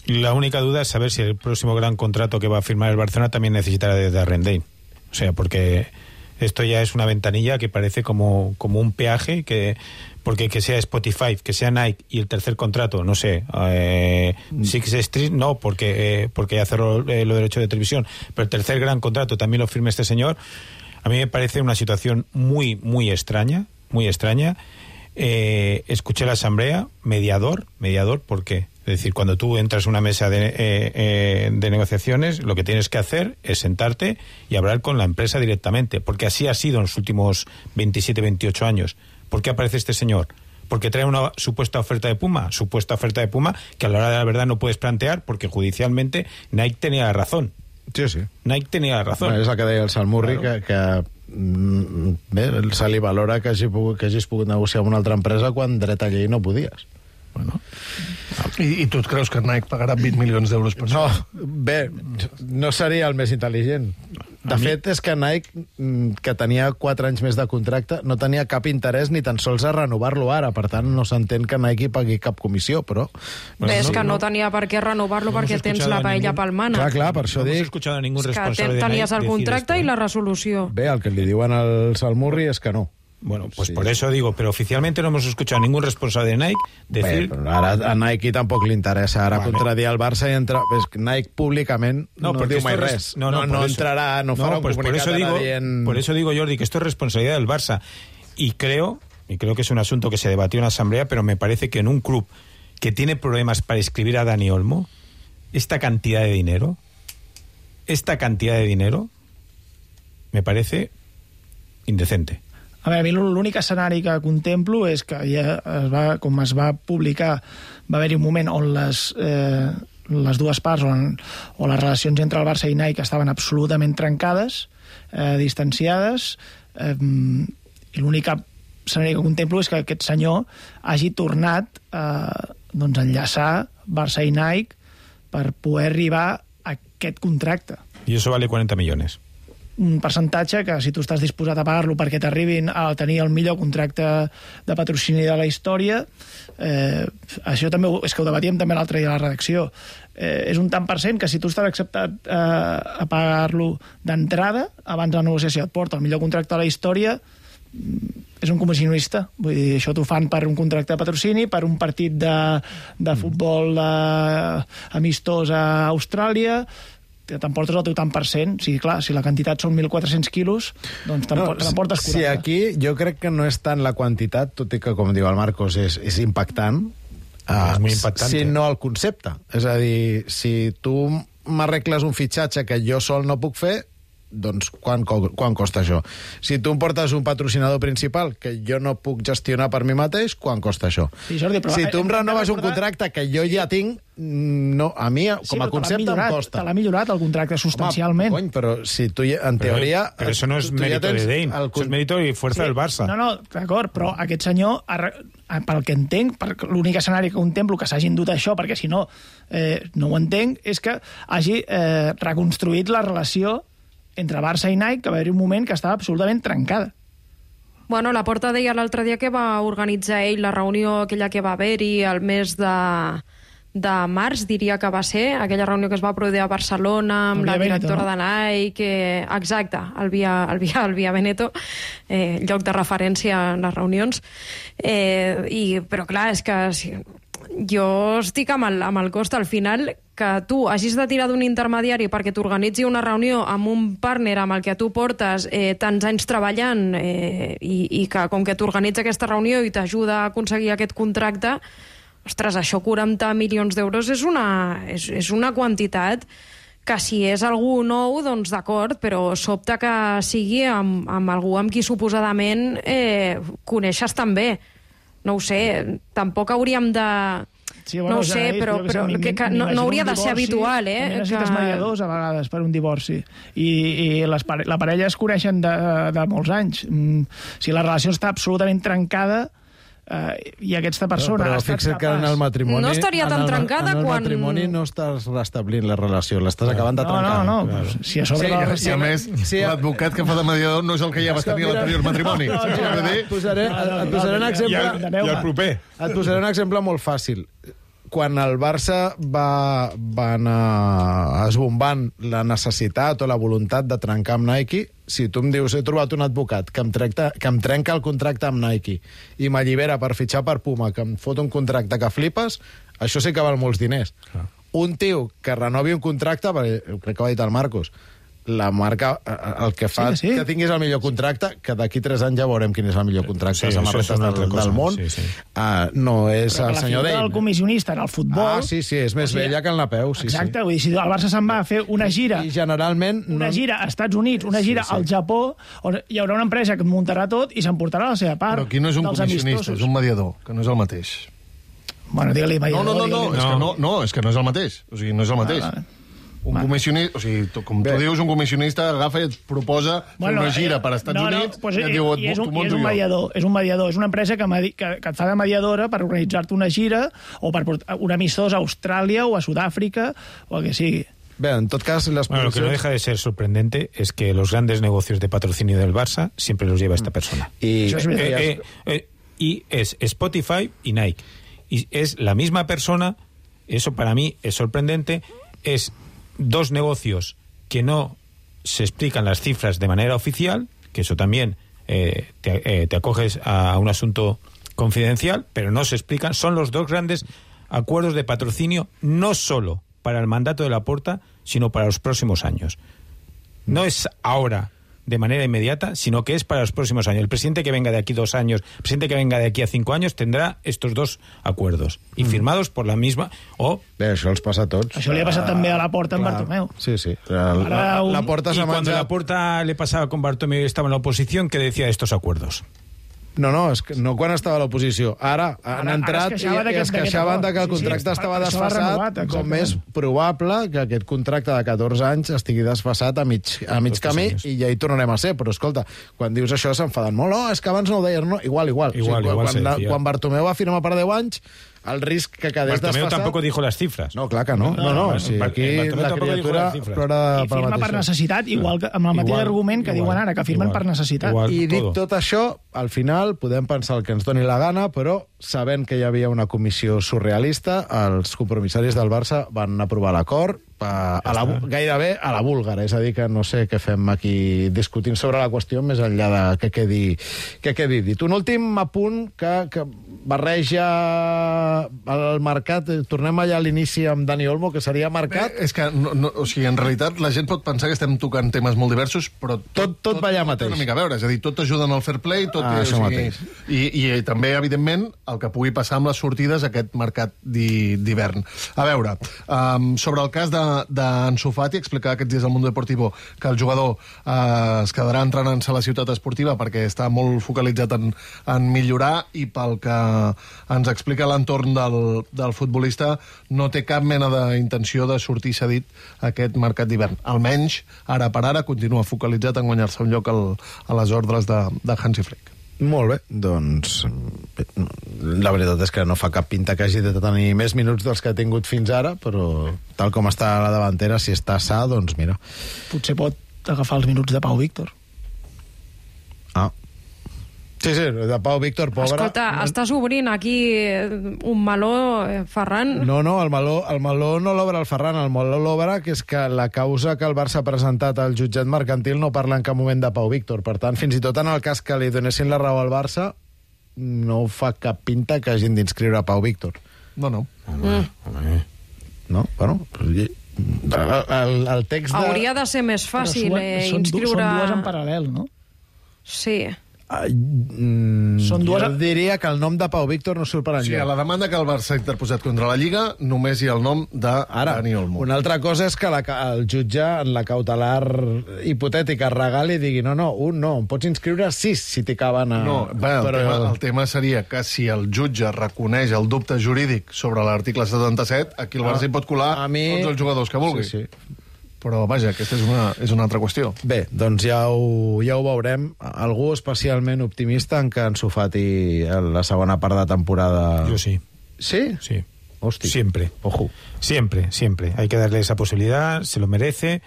La única duda es saber si el próximo gran contrato que va a firmar el Barcelona también necesitará de Darren Dane. O sea, porque esto ya es una ventanilla que parece como, como un peaje, que porque que sea Spotify, que sea Nike y el tercer contrato, no sé, eh, Six Street, no, porque eh, porque ya cerró eh, lo derecho de televisión, pero el tercer gran contrato también lo firme este señor. A mí me parece una situación muy, muy extraña, muy extraña. Eh, escuché la asamblea, mediador, mediador, ¿por qué? Es decir, cuando tú entras a una mesa de, eh, eh, de negociaciones, lo que tienes que hacer es sentarte y hablar con la empresa directamente, porque así ha sido en los últimos veintisiete, veintiocho años. ¿Por qué aparece este señor? Porque trae una supuesta oferta de Puma, supuesta oferta de Puma, que a la hora de la verdad no puedes plantear, porque judicialmente Nike tenía la razón. Sí, sí. Nike tenía la razón. Bueno, és el que deia el Salmurri, Claro. que, que mm, bé, se li valora que, hagi pogut, que hagis pogut negociar amb una altra empresa quan dret a llei no podies. Bueno. I, I tu et creus que Nike pagarà vint milions d'euros per No, això? bé, no seria el més intel·ligent. De mi- fet, és que Nike, mm, que tenia quatre anys més de contracte, no tenia cap interès ni tan sols a renovar-lo ara. Per tant, no s'entén que Nike pagui cap comissió, però... Bé, és que no tenia per què renovar-lo No hemos perquè tens escuchado la a paella ningún- pel mànec. Clar, clar, per això No hemos dic... escuchado a ningún És que responsable ten- de tenies Nike el decir contracte esto, i ¿eh? la resolució. Bé, el que li diuen al Salmurri és que no. Bueno, pues Sí. por eso digo, pero oficialmente no hemos escuchado a ningún responsable de Nike decir... Bé, però ara a Nike tampoc li interessa ara Vale. contradir el Barça i entrar... És que Nike públicament no, no porque diu mai esto es- res. No, no, no, no por eso. entrarà, no farà un pues por comunicat eso ara digo, dient... Por eso digo, Jordi, que esto es responsabilidad del Barça. Y creo, y creo que es un asunto que se debatió en la Asamblea, pero me parece que en un club que tiene problemas para inscribir a Dani Olmo, esta cantidad de dinero, esta cantidad de dinero, me parece indecente. A veure, a mi l'únic escenari que contemplo és que ja es va, com es va publicar, va haver-hi un moment on les, eh, les dues parts, on, on les relacions entre el Barça i Nike estaven absolutament trencades, eh, distanciades, eh, i l'únic escenari que contemplo és que aquest senyor hagi tornat a eh, doncs, enllaçar Barça i Nike per poder arribar a aquest contracte. Y eso vale cuarenta millones. Un percentatge que, si tu estàs disposat a pagar-lo perquè t'arribin a tenir el millor contracte de patrocini de la història, eh, això també ho, és que ho debatíem també l'altre dia a la redacció, eh, és un tant per cent que si tu estàs acceptat eh, a pagar-lo d'entrada, abans de la negociació et porta el millor contracte de la història, és un comissionista. Vull dir, això t'ho fan per un contracte de patrocini, per un partit de, de futbol eh, amistós a Austràlia, t'emportes el teu tant per cent. Sí, clar, si la quantitat són mil quatre-cents quilos, doncs t'emportes quaranta. Si aquí jo crec que no és tant la quantitat, tot i que, com diu el Marcos, és, és impactant, Ah, és molt impactant. sinó el concepte. És a dir, si tu m'arregles un fitxatge que jo sol no puc fer, doncs quan, co- quan costa això? Si tu em portes un patrocinador principal que jo no puc gestionar per mi mateix, quan costa això? Sí, Jordi, però si tu em hem de renoves un recordar- contracte que jo ja tinc, no, a mi, Sí, com a però te l'ha concepte, em millorat, costa. Te l'ha millorat el contracte substancialment. Home, cony, però si tu, ja- en Pero, teoria... pero eso no es tu- tu ja mérito tens de Dane, el eso es con- mérito y fuerza del Barça. No, no, d'acord, però aquest senyor, arre- pel que entenc, per l'únic escenari que contemplo que s'hagin dut això, perquè si no, eh, no ho entenc, és que hagi eh, reconstruït la relació entre Barça i Nike, que va haver un moment que estava absolutament trencada. Bueno, la Porta deia l'altre dia que va organitzar ell la reunió aquella que va haver-hi el mes de, de març, diria que va ser, aquella reunió que es va produir a Barcelona amb El la Via Veneto, directora no? de Nike, que, exacte, el Via, el Via, el Via Veneto, eh, lloc de referència en les reunions. Eh, i, però clar, és que si, jo estic amb el, amb el cost al final que tu hagis de tirar d'un intermediari perquè t'organitzi una reunió amb un partner amb el que tu portes eh, tants anys treballant eh, i, i que com que t'organitza aquesta reunió i t'ajuda a aconseguir aquest contracte, ostres, això quaranta milions d'euros és una, és, és una quantitat que si és algú nou, doncs d'acord, però sobta que sigui amb, amb algú amb qui suposadament eh, coneixes també. No ho sé, tampoc hauríem de... Sí, no ho ja sé, he dit, però, jo què sé, però m'im- que, que no, m'imagino no hauria un de ser divorci, habitual, eh? també necessites que... mediadors a vegades per un divorci. I, i les pare la parella es coneixen de, de molts anys. Mm, si la relació està absolutament trencada eh, i aquesta persona però ha estat fixa't que en capaç... el matrimoni... No estaria tan en el, trencada en el quan- matrimoni no estàs restablint la relació, l'estàs acabant de No, trencar. no, no, pues, si a sobre Sí, la i- I a més, Sí, l'advocat que fa de mediador no és el que ja vas tenir a l'anterior matrimoni. No, Saps què vull dir? et posaré, et posaré un exemple... I el proper. Et posaré un exemple molt fàcil. Quan el Barça va, va anar esbombant la necessitat o la voluntat de trencar amb Nike, si tu em dius he trobat un advocat que em, tracta, que em trenca el contracte amb Nike i m'allibera per fitxar per Puma, que em fot un contracte que flipes, això sí que val molts diners. Ah. Un tio que renovi un contracte, perquè crec que ho ha dit el Marcos, la marca, eh, el que fa Sí, sí. que tinguis el millor contracte, que d'aquí tres anys ja veurem quin és el millor contracte Sí, de això samarretes és una altra del, cosa, del món. sí, sí. Uh, no és Però el la senyor figura Dane. del comissionista en el futbol... Ah, sí, sí, és més o sigui, vella que el Napeu, sí, Exacte, sí. vull dir, si el Barça se'n va a fer una gira... I generalment... Una gira als Estats Units, una Sí, gira sí. al Japó, on hi haurà una empresa que et muntarà tot i s'emportarà la seva part. Però aquí no és un dels comissionista, amistosos. és un mediador, que no és el mateix. Bueno, digue-li No, mediador. no, no, no, digue-li- és que no, no, és que no és el mateix. O sigui, no és el mateix. Ah, Un comissionista, o sigui, tu, com tu dius, un comissionista agafa i et proposa Bueno, fer una gira eh, per Estats no, no, Units pues, i et i- diu, i és un, tu i és munto un jo. mediador, és un mediador, és una empresa que, medi- que, que et fa de mediadora per organitzar-te una gira o per portar un amistós a Austràlia o a Sud-àfrica o el que sigui. Bé, en tot cas, les Bueno, lo que no deja de ser sorprendente es que los grandes negocios de patrocinio del Barça siempre los lleva esta persona. I, Això és veritat. Eh, eh, eh, y es Spotify y Nike. Y es la misma persona, eso para mí es sorprendente, es dos negocios que no se explican las cifras de manera oficial, que eso también eh, te, eh, te acoges a un asunto confidencial, pero no se explican. Son los dos grandes acuerdos de patrocinio, no solo para el mandato de Laporta, sino para los próximos años. No es ahora, de manera inmediata, sino que es para los próximos años. El presidente que venga de aquí dos años, el presidente que venga de aquí a cinco años, tendrá estos dos acuerdos. Y firmados por la misma... o Bé, això els passa a tots. Això li ha passat també a la Porta amb Clar. Bartomeu. Sí, sí. La, la, Ara un- la porta y s'ha cuando menjat... Laporta le pasaba con Bartomeu y estaba en la oposición, ¿qué decía de estos acuerdos? No, no, és que no quan estava a l'oposició. Ara han Ara- ara entrat es i, queixava i d'aquest- es d'aquest queixaven acord. de que el Sí, sí, contracte per- estava per això l'ha desfasat, renovat, com exactament. és probable que aquest contracte de catorze anys estigui desfasat a mig, a mig Tots camí anys. i ja hi tornarem a ser. Però, escolta, quan dius això s'enfaden molt. No, és que abans no ho deies, no? Igual, igual. Igual, igual quan, se quan, decía. quan Bartomeu va firmar per deu anys, el risc que quedés Bartomeu desfasat... tampoco dijo las cifras. No, clar que no. No, no, no, sí, Bar- aquí Bartomeu la tampoco dijo criatura las cifras. plora I per firma per mateixa. necessitat, igual que amb el mateix Igual, argument que igual, diuen ara, que firmen igual, per necessitat. igual. I dit Todo. tot això, al final podem pensar el que ens doni la gana, però sabent que hi havia una comissió surrealista, els compromissaris del Barça van aprovar l'acord a, a la, gairebé a la búlgara. És a dir, que no sé què fem aquí discutint sobre la qüestió més enllà de que quedi, que quedi dit. Un últim apunt que, que barreja el mercat. Tornem allà a l'inici amb Dani Olmo, que seria mercat. Bé, és que, no, no, o sigui, en realitat, la gent pot pensar que estem tocant temes molt diversos, però Tot- tot va allà té mateix. una mica a veure, és a dir, tot ajuda en el fair play, tot Ah, té, això o mateix. sigui, i, i també, evidentment, el que pugui passar amb les sortides aquest mercat di- d'hivern. A veure, um, sobre el cas d'Ansu de, d'Ansu Fati, explicava aquests dies al Mundo Deportivo que el jugador uh, es quedarà entrenant-se a la ciutat esportiva perquè està molt focalitzat en, en millorar, i pel que ens explica l'entorn del, del futbolista, no té cap mena d'intenció de sortir cedit a aquest mercat d'hivern. Almenys, ara per ara, continua focalitzat en guanyar-se un lloc al, a les ordres de, de Hansi Flick. Molt bé, doncs bé, la veritat és que no fa cap pinta que hagi de tenir més minuts dels que ha tingut fins ara, però tal com està la davantera, si està sa, doncs mira. Potser pot agafar els minuts de Pau Víctor. Ah. Sí, sí, de Pau Víctor, pobre. Escolta, no, estàs obrint aquí un meló, eh, Ferran? No, no, el meló, el meló no l'obre el Ferran, el meló l'obre, que és que la causa que el Barça ha presentat al jutjat mercantil no parla en cap moment de Pau Víctor. Per tant, fins i tot en el cas que li donessin la raó al Barça, no fa cap pinta que hagin d'inscriure Pau Víctor. No, no. Mm. No? Bueno, el, el, el text de... Hauria de ser més fàcil Però eh, són, inscriure... són dues en paral·lel, no? Sí. Ai, mm, Són dues- Jo diria que el nom de Pau Víctor no surt per O sigui, enlloc. a la demanda que el Barça ha interposat contra la Lliga només hi ha el nom de Ara, Dani Olmo. una altra cosa és que la, el jutge en la cautelar hipotètica regali i digui no, no, un no, em pots inscriure sis si t'hi caben a... No, bé, el, però... tema, el tema seria que si el jutge reconeix el dubte jurídic sobre l'article setanta-set, aquí el Barça hi pot colar a mi... tots els jugadors que vulgui. Sí, sí. Però, vaja, aquesta és una, és una altra qüestió. Bé, doncs ja ho, ja ho veurem. Algú especialment optimista en que Ansu Fati la segona part de temporada... Yo sí. ¿Sí? Sí. Hostia. Siempre. Ojo. Siempre, siempre. Hay que darle esa posibilidad, se lo merece,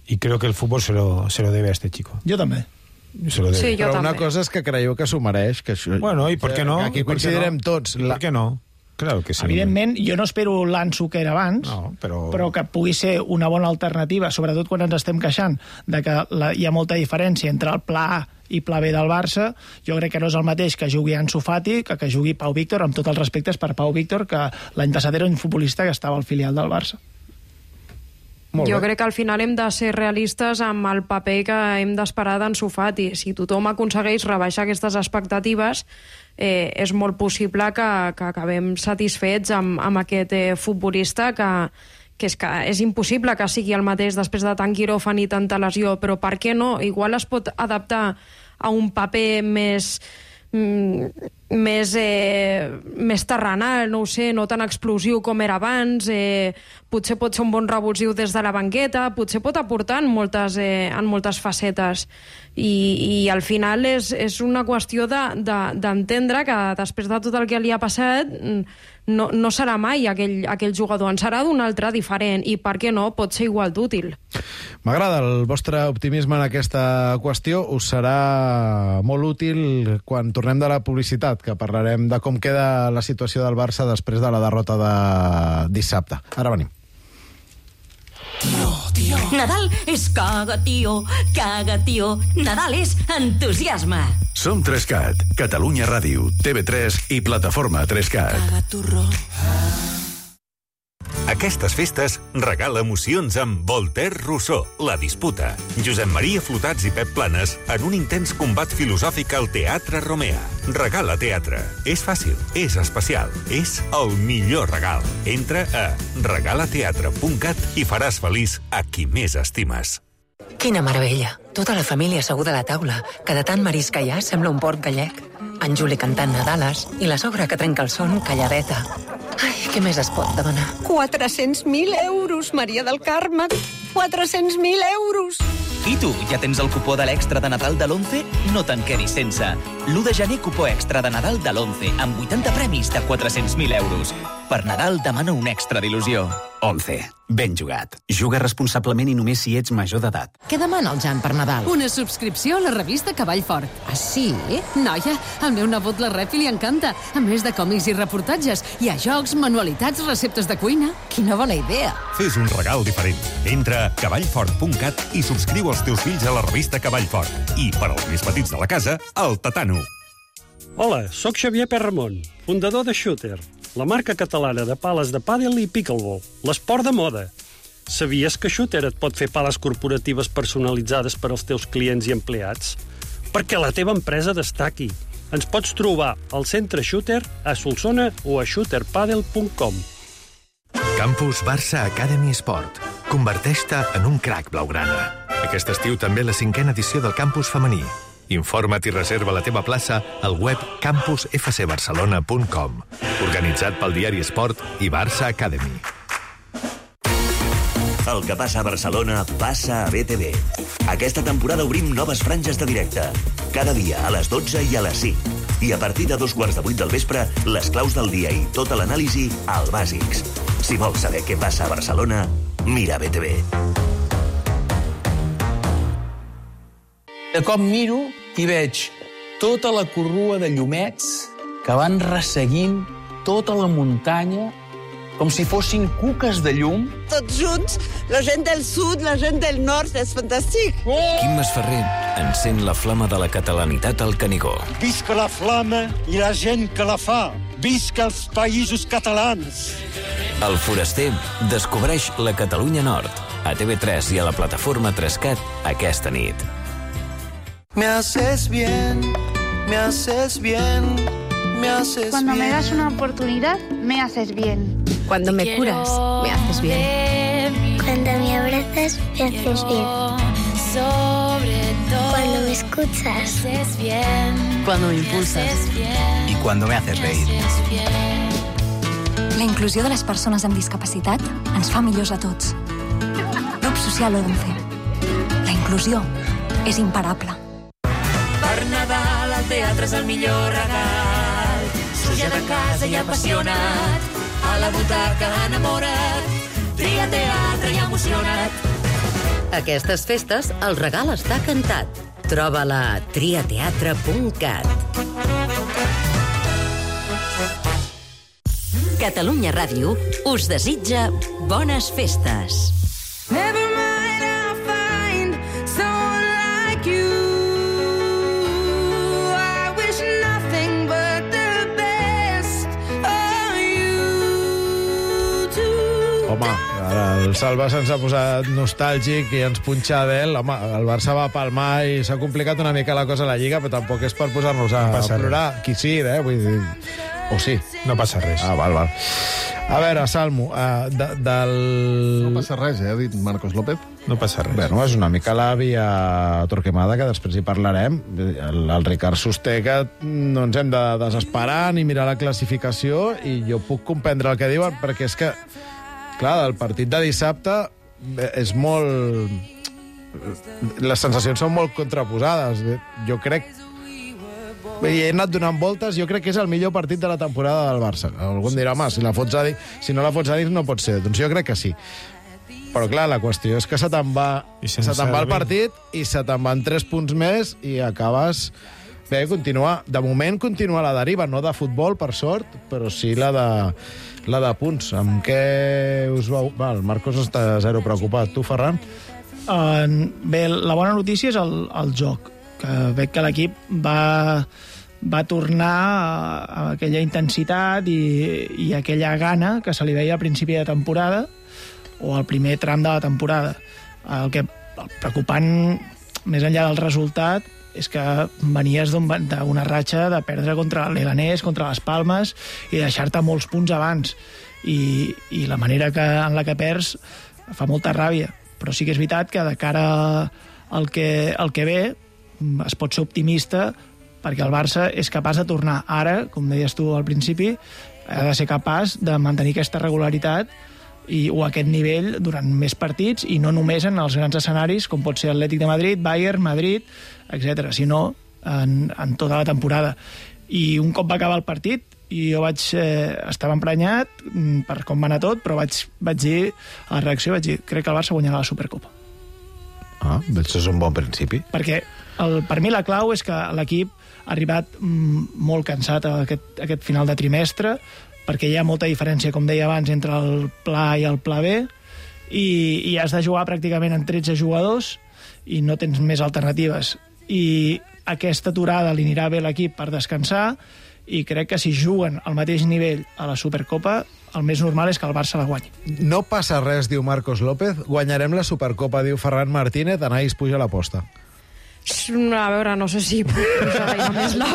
y creo que el fútbol se lo, se lo debe a este chico. Jo també. Se lo debe. Sí, jo Però una també. cosa és que creieu que s'ho mereix. Que això... Bueno, ¿y por qué no? Aquí ¿Y por qué coincidirem no? tots. ¿Y La... ¿Por qué no? Claro que sí. Evidentment, jo no espero l'Ansu que era abans, No, però- però que pugui ser una bona alternativa, sobretot quan ens estem queixant de que la, hi ha molta diferència entre el pla A i pla B del Barça. Jo crec que no és el mateix que jugui Ansu Fati que que jugui Pau Víctor, amb tots els respectes per Pau Víctor, que l'any passat era un futbolista que estava al filial del Barça. Molt Jo bé. crec que al final hem de ser realistes amb el paper que hem d'esperar d'Ansu Fati. Si tothom aconsegueix rebaixar aquestes expectatives, eh, és molt possible que, que acabem satisfets amb, amb aquest eh, futbolista que, que, és que és impossible que sigui el mateix després de tant quiròfan i tanta lesió, però per què no? Igual es pot adaptar a un paper més mm, més, eh, més terrenal, no ho sé, no tan explosiu com era abans, eh, potser pot ser un bon revulsiu des de la banqueta, potser pot aportar en moltes, eh, en moltes facetes. I, i al final és, és una qüestió d'entendre de, de, que després de tot el que li ha passat no, no serà mai aquell, aquell jugador, en serà d'un altre diferent i, per què no, pot ser igual d'útil. M'agrada el vostre optimisme en aquesta qüestió. Us serà molt útil quan tornem de la publicitat, que parlarem de com queda la situació del Barça després de la derrota de dissabte. Ara venim. Tío, tío. Nadal és caga, tio, caga, tio. Nadal és entusiasme. Som tres cat, Catalunya Ràdio, T V tres i Plataforma tres cat. Caga, turró. Aquestes festes regala emocions amb Voltaire Rousseau, La disputa. Josep Maria Flotats i Pep Planes en un intens combat filosòfic al Teatre Romea. Regala teatre. És fàcil, és especial, és el millor regal. Entra a regalateatre punt cat i faràs feliç a qui més estimes. Quina meravella. Tota la família asseguda a la taula, que de tant marisc que hi ha sembla un port gallec. En Juli cantant Nadales i la sogra que trenca el son calladeta. Ai, què més es pot demanar? quatre-cents mil euros, Maria del Carme. quatre-cents mil euros. I tu, ja tens el cupó de l'extra de Nadal de l'Once? No te'n quedis sense. l'u de gener, cupó extra de Nadal de l'Once, amb vuitanta premis de quatre-cents mil euros. Per Nadal demana un extra d'il·lusió. Once. Ben jugat. Juga responsablement i només si ets major d'edat. Què demana el Jan per Nadal? Una subscripció a la revista Cavall Fort. Ah, sí? Noia, al meu nebot la rep i li encanta. A més de còmics i reportatges, hi ha jocs, manualitats, receptes de cuina. Quina bona idea. Fes un regal diferent. Entra a cavallfort punt cat i subscriu els teus fills a la revista Cavall Fort. I, per als més petits de la casa, el Tatano. Hola, sóc Xavier Perramon, fundador de Shooter, la marca catalana de pales de pàdel i pickleball, l'esport de moda. Sabies que Shooter et pot fer pales corporatives personalitzades per als teus clients i empleats? Perquè la teva empresa destaqui. Ens pots trobar al centre Shooter, a Solsona o a shooter padel punt com. Campus Barça Academy Sport. Converteix-te en un crac blaugrana. Aquest estiu també la cinquena edició del campus femení. Informa't i reserva la teva plaça al web campus f c barcelona punt com. Organitzat pel diari Esport i Barça Academy. El que passa a Barcelona passa a B T V. Aquesta temporada obrim noves franges de directe. Cada dia a les dotze i a les cinc. I a partir de dos quarts de vuit del vespre, les claus del dia i tota l'anàlisi al Bàsics. Si vols saber què passa a Barcelona, mira B T V. De cop miro i veig tota la corrua de llumets que van resseguint tota la muntanya com si fossin cuques de llum. Tots junts, la gent del sud, la gent del nord, és fantàstic. Oh! Quim Masferrer encén la flama de la catalanitat al Canigó. Visca la flama i la gent que la fa. Visca els països catalans. El Foraster descobreix la Catalunya Nord a T V tres i a la plataforma tres cat aquesta nit. Me haces bien, me haces bien, me haces Cuando bien. me das una oportunidad, me haces bien. Cuando me curas, me haces bien. Cuando me abrazas, me haces bien. Cuando me escuchas, me haces bien. Cuando me impulsas. I cuando me haces reír. La inclusió de les persones amb discapacitat ens fa millors a tots. Grup Social Once. La inclusió és imparable. Per Nadal al teatre és el millor regal. Suja de casa i apassionat, a la butaca enamorat, tria teatre i emocionat. Aquestes festes el regal està cantat. Troba-la a tria teatre punt cat. Catalunya Ràdio us desitja bones festes. Never mind, I'll find someone like you. I wish nothing but the best for you too. Home, ara el Salva se'ns ha posat nostàlgic i ens punxa Adele. Home, el Barça va palmar i s'ha complicat una mica la cosa a la Lliga, però tampoc és per posar-nos a, No a passa plorar. Qui sí, eh? Vull dir... O sí. No passa res. Ah, val, val. A veure, Salmo, uh, de, del... No passa res, eh, ha dit Marcos López. no passa res. Bueno, és una mica la via Torquemada, que després hi parlarem. El, el Ricard sosté que no ens hem de desesperar ni mirar la classificació, i jo puc comprendre el que diuen, perquè és que, clar, el partit de dissabte és molt... Les sensacions són molt contraposades. Jo crec... I he anat donant voltes, jo crec que és el millor partit de la temporada del Barça. Algú em dirà, home, si, la fots a dir, si no la fots a dir no pot ser. Doncs jo crec que sí. Però clar, la qüestió és que se te'n va, se te'n va el partit i se te'n van tres punts més i acabes... Bé, continua, de moment continua la deriva, no de futbol, per sort, però sí la de, la de punts. Amb què us vau... Va, el Marcos està zero preocupat. Tu, Ferran? Uh, bé, la bona notícia és el, el joc, que veig que l'equip va, va tornar a, a aquella intensitat i, i aquella gana que se li veia a principi de temporada o al primer tram de la temporada. El que el preocupant, més enllà del resultat, és que venies d'una ratxa de perdre contra el Leganés, contra les Palmes, i deixar-te molts punts abans. I, i la manera que, en la que perds fa molta ràbia. Però sí que és veritat que de cara al que, al que ve es pot ser optimista, perquè el Barça és capaç de tornar ara, com deies tu al principi, ha de ser capaç de mantenir aquesta regularitat i, o aquest nivell durant més partits, i no només en els grans escenaris com pot ser Atlètic de Madrid, Bayern, Madrid, etcètera, sinó en, en tota la temporada. I un cop va acabar el partit, i jo vaig, eh, estava emprenyat per com va anar tot, però vaig, vaig dir a la reacció, vaig dir, crec que el Barça guanyarà la Supercopa. Ah, això és un bon principi. Perquè el, per mi la clau és que l'equip ha arribat mm, molt cansat a aquest, a aquest final de trimestre, perquè hi ha molta diferència, com deia abans, entre el pla A i el pla B, i, i has de jugar pràcticament en tretze jugadors i no tens més alternatives. I aquesta aturada li anirà bé a l'equip per descansar, i crec que si juguen al mateix nivell a la Supercopa, el més normal és que el Barça la guanyi. No passa res, diu Marcos López. Guanyarem la Supercopa, diu Ferran Martínez. Anais, puja l'aposta. A veure, no sé si posarà ja més la,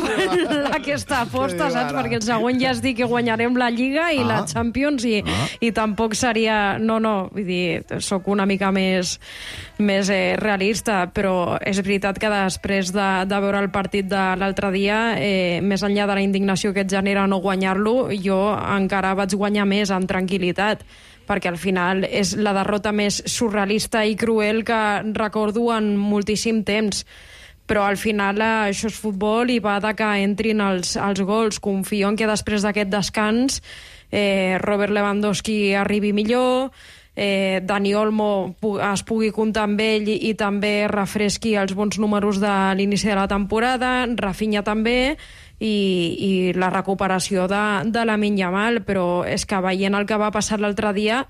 aquesta aposta, saps? Perquè el següent ja es diu que guanyarem la Lliga i ah. la Champions i, ah. i tampoc seria... No, no, vull dir, sóc una mica més, més eh, realista, però és veritat que després de, de veure el partit de l'altre dia, eh, més enllà de la indignació que et genera no guanyar-lo, jo encara vaig guanyar més amb tranquil·litat, perquè al final és la derrota més surrealista i cruel que recordo en moltíssim temps. Però al final eh, això és futbol i va de que entrin els, els gols. Confio en que després d'aquest descans eh, Robert Lewandowski arribi millor, eh, Dani Olmo pu es pugui comptar amb ell i, i també refresqui els bons números de l'inici de la temporada, Rafinha també, i, i la recuperació de, de Lamine Yamal, però és que veient el que va passar l'altre dia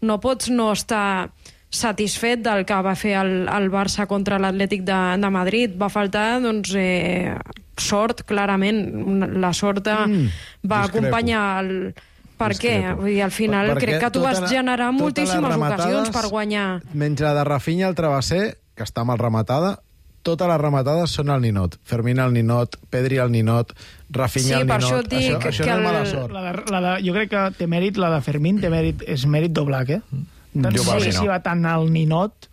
no pots no estar satisfet del que va fer el, el Barça contra l'Atlètic de, de Madrid. Va faltar doncs, eh, sort, clarament. La sort mm, va acompanyar el... Per què? Vull dir, al final per, crec que tu vas la, generar moltíssimes ocasions per guanyar. Menys la de Rafinha, el travesser, que està mal rematada, totes les rematades són al ninot. Fermín al ninot, Pedri al ninot, Rafinha sí, al ninot. Això, dic, això, això no és mala sort. La de, la de, jo crec que té mèrit, la de Fermín té mèrit, és mèrit doblac, eh? No sé si va tant al ninot,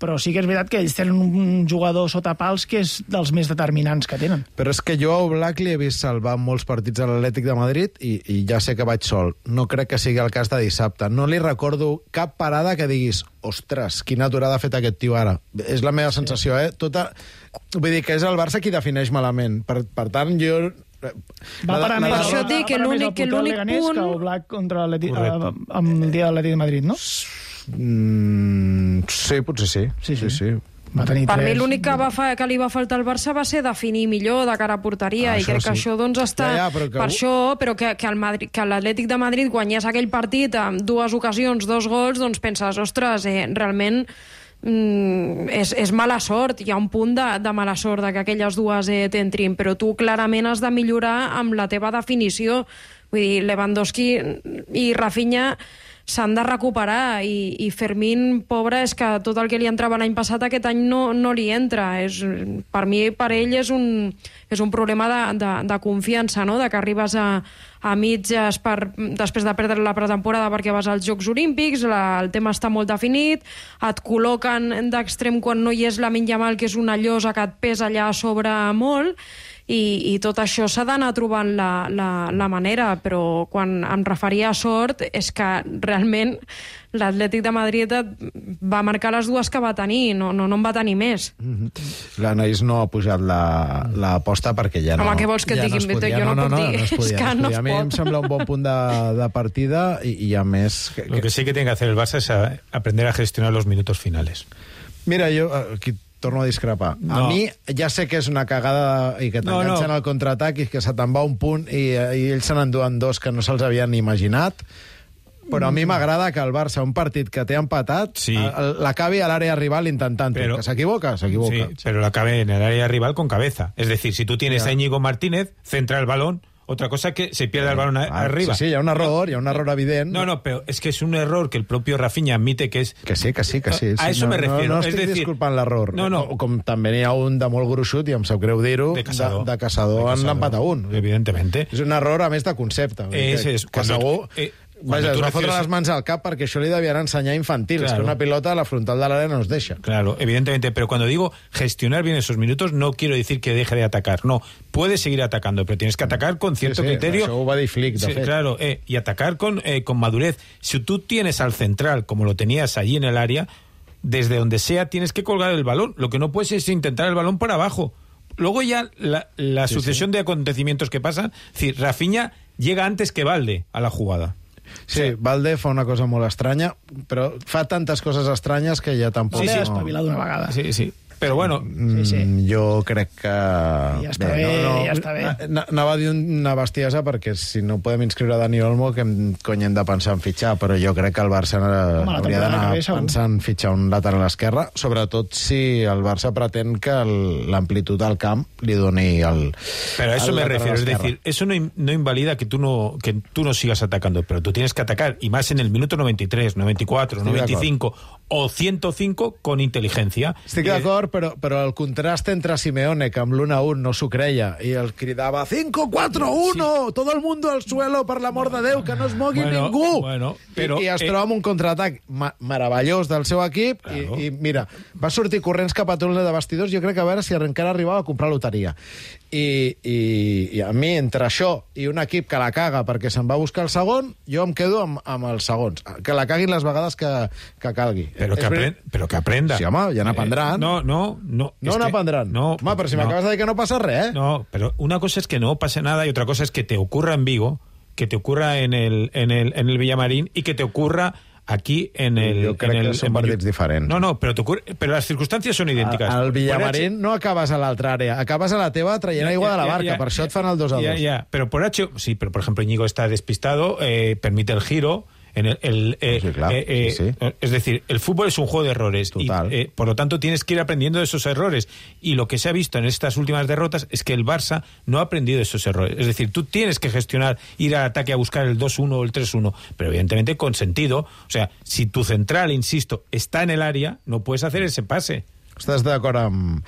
però sí que és veritat que ells tenen un jugador sota pals que és dels més determinants que tenen. Però és que jo a Oblak li he vist salvar molts partits a l'Atlètic de Madrid i, i ja sé que vaig sol. No crec que sigui el cas de dissabte. No li recordo cap parada que diguis ostres, quina aturada ha fet aquest tio ara. És la meva sensació, eh? Tota... Vull dir que és el Barça qui defineix malament. Per, per tant, jo... Va parar més, per això dic que l'únic punt... que Oblak contra l'Atlètic, amb el dia de l'Atlètic de Madrid, no? Mm, sí, potser sí. Sí, sí, sí. Va tenir per tres. mi l'únic que, va fa, que li va faltar al Barça va ser definir millor de cara a porteria ah, i crec sí. que això doncs està ja, ja, però que... per això, però que, que, el Madrid, que l'Atlètic de Madrid guanyés aquell partit amb dues ocasions, dos gols, doncs penses, ostres, eh, realment mm, és, és mala sort, hi ha un punt de, de mala sort de que aquelles dues eh, t'entrin, però tu clarament has de millorar amb la teva definició. Vull dir, Lewandowski i Rafinha s'han de recuperar i, i Fermín, pobre, és que tot el que li entrava l'any passat aquest any no, no li entra. És, per mi, per ell, és un, és un problema de, de, de confiança, no? De que arribes a, a mitges per, després de perdre la pretemporada perquè vas als Jocs Olímpics, la, el tema està molt definit, et col·loquen d'extrem quan no hi és Lamine Yamal, que és una llosa que et pesa allà a sobre molt, i, i tot això s'ha d'anar trobant la, la, la manera, però quan em referia a sort és que realment l'Atlètic de Madrid va marcar les dues que va tenir, no, no, no en va tenir més. Mm-hmm. L'Anaïs no ha pujat l'aposta la, perquè ja no... Home, què vols que et ja digui? No jo no, no, puc no, dir. No, no es podia, és que no no es es a mi pot. em sembla un bon punt de, de partida i, i a més... Que, Lo que sí que tiene que hacer el Barça es a, aprender a gestionar los minutos finales. Mira, jo aquí torno a discrepar. No. A mi ja sé que és una cagada i que t'enganxen no, no. al contraatac i que se te'n va un punt i, i ells se n'enduen dos que no se'ls havien ni imaginat, però a mi m'agrada que el Barça, un partit que té empatat, sí. l'acabi a l'àrea rival intentant-ho. Que s'equivoca, s'equivoca. Sí, pero l'acabe en el área rival con cabeza. Es decir, si tú tienes yeah. a Íñigo Martínez, centra el balón. Otra cosa es que se pierda el balón ah, arriba. Sí, sí, hi ha un error, hi ha un error evident. No, no, pero es que es un error que el propio Rafinha admite que es... Que sí, que sí, que sí. A, a eso no, me refiero. No, no es estic decir, disculpant l'error. No, no. O, com també n'hi ha un de molt gruixut, i em sap greu dir-ho, de, de, Caçador, de Caçador en l'empat a un. Evidentemente. És un error, a més, de concepte. Es, que, es, que segur... Eh, Vaja, es va fotre les mans al cap perquè això li devien ensenyar infantil. Claro. Es que una pilota a la frontal de l'àrea no es deixa. Claro, evidentemente, pero cuando digo gestionar bien esos minutos, no quiero decir que deje de atacar. No, puedes seguir atacando, pero tienes que atacar con cierto sí, sí, criterio. Això ho va dir Flick, de sí, fet. Claro, eh, y atacar con, eh, con madurez. Si tú tienes al central, como lo tenías allí en el área, desde donde sea tienes que colgar el balón. Lo que no puedes es intentar el balón por abajo. Luego ya la, la sí, sucesión sí. de acontecimientos que pasan, es decir, Rafinha llega antes que Valde a la jugada. Sí, sí, Valde fa una cosa molt estranya, però fa tantes coses estranyes que ja tampoc... Sí, sí, espavilat d'una vegada. Sí, sí. Però bueno... Sí, sí. Jo crec que... Ja està bé, bé no, no, ja està bé. Anava a dir una bestiesa perquè si no podem inscriure Dani Olmo, que cony hem de pensar en fitxar, però jo crec que el Barça Home, hauria d'anar pensant en fitxar un lateral a l'esquerra, sobretot si el Barça pretén que l'amplitud al camp li doni el... Pero a eso me refiero, es decir, eso no, no invalida que tú no, que tú no sigas atacando, pero tú tienes que atacar, y más en el minuto noventa y tres, noventa y cuatro, Estic noventa y cinco o ciento cinco con inteligencia. Estic d'acord, però, però el contrast entre Simeone, que amb l'u a un no s'ho creia, i el cridava cinco cuatro uno, sí. todo el mundo al suelo, per l'amor de Déu, que no es mogui bueno, ningú. Bueno, però, I, I es eh... troba amb un contraatac ma meravellós del seu equip, claro. i, i mira, va sortir corrents cap a túnel de vestidors, jo crec que a veure si encara arribava a comprar loteria. I, i, i a mi, entre això i un equip que la caga perquè se'n va buscar el segon, jo em quedo amb, amb els segons. Que la caguin les vegades que, que calgui. Però que, aprend, però que aprenda. Sí, home, ja n'aprendran. Eh, no, no, no. No n'aprendran. No, home, però si no. m'acabes de dir que no passa res, eh? No, pero una cosa es que no pase nada y otra cosa es que te ocurra en Vigo, que te ocurra en el, en el, en el Villamarín y que te ocurra aquí en el... Jo crec en el, que són partits diferents. No, no, però, però les circumstàncies són idèntiques. Al Villamarín no acabes a l'altra àrea, acabes a la teva traient aigua de la barca, ya, ya, per això et fan el dos a dos. Ya, ya, pero por H... Sí, pero por ejemplo Íñigo está despistado, eh, permite el giro... En el, el, eh, sí, claro, eh, eh, sí, sí. Es decir, el fútbol es un juego de errores y, eh, por lo tanto tienes que ir aprendiendo de esos errores, y lo que se ha visto en estas últimas derrotas es que el Barça no ha aprendido de esos errores. Es decir, tú tienes que gestionar, ir al ataque a buscar el dos uno o el tres uno, pero evidentemente con sentido. O sea, si tu central, insisto, está en el área, no puedes hacer ese pase. Estàs d'acord amb,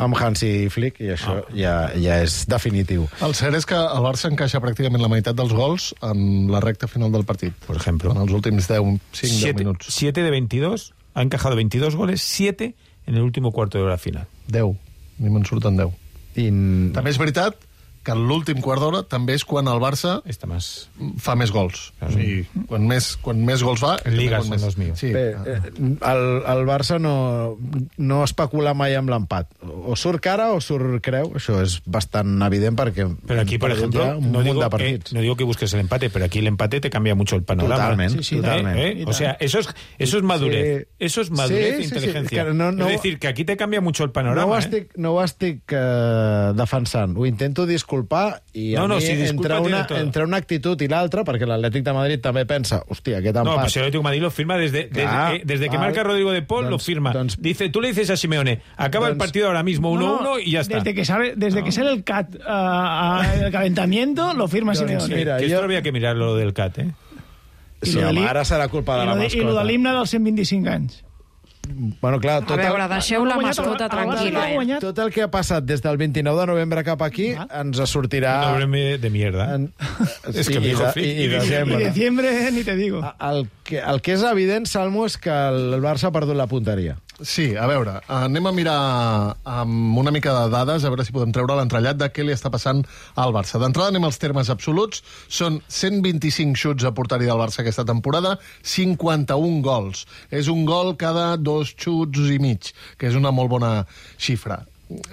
amb Hansi Flick i això ah. ja, ja és definitiu. El cert és que el Barça encaixa pràcticament la meitat dels gols en la recta final del partit. Por ejemplo. En els últims cinc deu minuts. siete de veintidós, ha encajado veintidós goles, siete en el último cuarto de hora final. deu. A mi me'n surten deu. I... També és veritat que l'últim quart d'hora també és quan el Barça más... fa més gols. O sigui, quan més, quan més gols fa... Ligas són els míos. Sí. Bé, el, el Barça no, no especula mai amb l'empat. O surt cara o surt creu. Això és bastant evident perquè... Pero aquí, por ejemplo, no digo, eh, no digo que busques el empate, pero aquí el empate te cambia mucho el panorama. Totalment, sí, sí, totalment. ¿Eh? ¿Eh? O sea, eso es, eso es madurez. Sí. Eso es madurez sí, e sí, inteligencia. Sí, sí. No, no, es decir, que aquí te cambia mucho el panorama. No ho estic, eh? no ho estic uh, defensant. Ho intento disculpar i a no, no, mi si entre, una, entre una actitud i l'altra, perquè l'Atlètic de Madrid també pensa, hòstia, aquest empat... No, pues el Atlético de Madrid lo firma desde, desde, Clar, eh, desde que val. marca Rodrigo de Paul, doncs, lo firma. Doncs, dice, tú le dices a Simeone, acaba doncs, el partido ahora mismo uno uno no, no, y ya está. Desde que sale, desde no. que sale el C A T uh, uh, el calentamiento, lo firma doncs, Simeone. Mira, que esto yo... había que mirar lo del C A T, ¿eh? Sí, home, ara serà culpa de la mascota. I lo de l'himne dels cent vint-i-cinc anys. Bueno, clar, tot A veure, el... deixeu la mascota tranquil·la. Eh? Tot el que ha passat des del vint-i-nou de novembre cap aquí ens sortirà... Noviembre de mierda. En... Es que Sí, me dijo i, Flick. i, i desembre. I diciembre, ni te digo. El que, el que és evident, Salmo, és que el Barça ha perdut la punteria. Sí, a veure, anem a mirar amb una mica de dades, a veure si podem treure l'entrellat de què li està passant al Barça. D'entrada anem als termes absoluts. Són cent vint-i-cinc xuts a porteria del Barça aquesta temporada, cinquanta-un gols. És un gol cada dos xuts i mig, que és una molt bona xifra.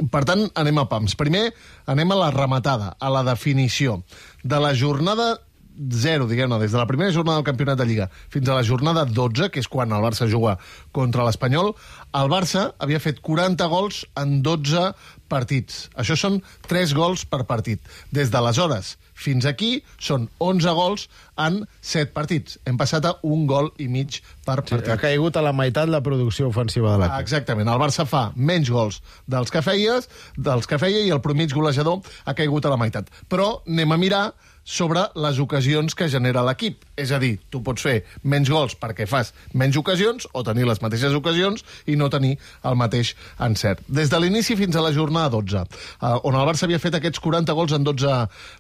Per tant, anem a pams. Primer, anem a la rematada, a la definició. De la jornada zero, diguem-ne, des de la primera jornada del Campionat de Lliga fins a la jornada dotze, que és quan el Barça juga contra l'Espanyol, el Barça havia fet quaranta gols en dotze partits. Això són tres gols per partit. Des d'aleshores fins aquí són onze gols en set partits. Hem passat a un gol i mig per partit. Sí, ha caigut a la meitat la producció ofensiva de l'equip. Exactament. El Barça fa menys gols dels que feies, dels que feia, i el promig golejador ha caigut a la meitat. Però anem a mirar sobre les ocasions que genera l'equip. És a dir, tu pots fer menys gols perquè fas menys ocasions o tenir les mateixes ocasions i no tenir el mateix encert. Des de l'inici fins a la jornada dotze, eh, on el Barça havia fet aquests quaranta gols en dotze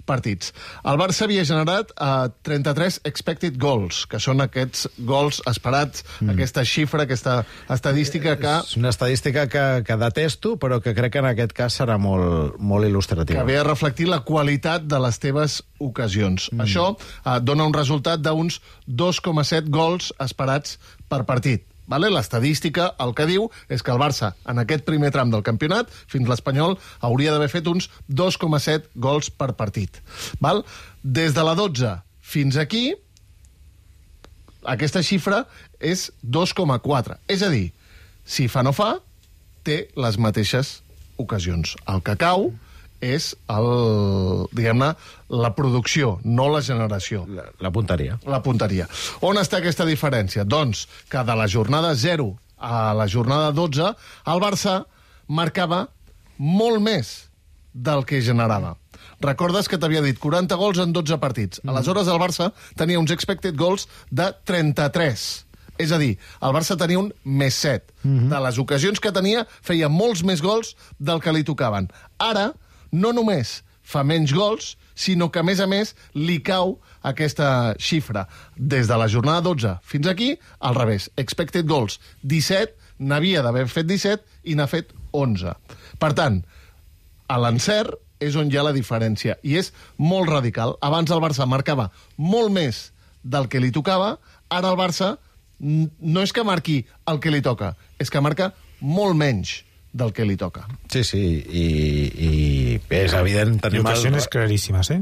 partits. El Barça havia generat eh, trenta-tres expected goals, que són aquests gols esperats, mm. aquesta xifra, aquesta estadística que... És una estadística que, que detesto, però que crec que en aquest cas serà molt, molt il·lustrativa. Que ve a reflectir la qualitat de les teves ocasions. Mm. Això eh, dona un resultat d'uns dos coma set gols esperats per partit. Vale? L'estadística el que diu és que el Barça, en aquest primer tram del campionat, fins l'Espanyol, hauria d'haver fet uns dos coma set gols per partit. Val? Des de la dotze fins aquí, aquesta xifra és dos coma quatre. És a dir, si fa no fa, té les mateixes ocasions. El que cau és el, diguem-ne, la producció, no la generació. La, la punteria. La punteria. On està aquesta diferència? Doncs que de la jornada zero a la jornada dotze, el Barça marcava molt més del que generava. Recordes que t'havia dit quaranta gols en dotze partits. Mm. Aleshores, el Barça tenia uns expected goals de trenta-tres. És a dir, el Barça tenia un més set. Mm-hmm. De les ocasions que tenia, feia molts més gols del que li tocaven. Ara, no només fa menys gols, sinó que, a més a més, li cau aquesta xifra. Des de la jornada dotze fins aquí, al revés. Expected goals, disset, n'havia d'haver fet disset i n'ha fet onze. Per tant, a l'encert és on hi ha la diferència, i és molt radical. Abans el Barça marcava molt més del que li tocava, ara el Barça no és que marqui el que li toca, és que marca molt menys del que li toca. Sí, sí, i, i és evident... Tenim ocasiones el... claríssimes, eh?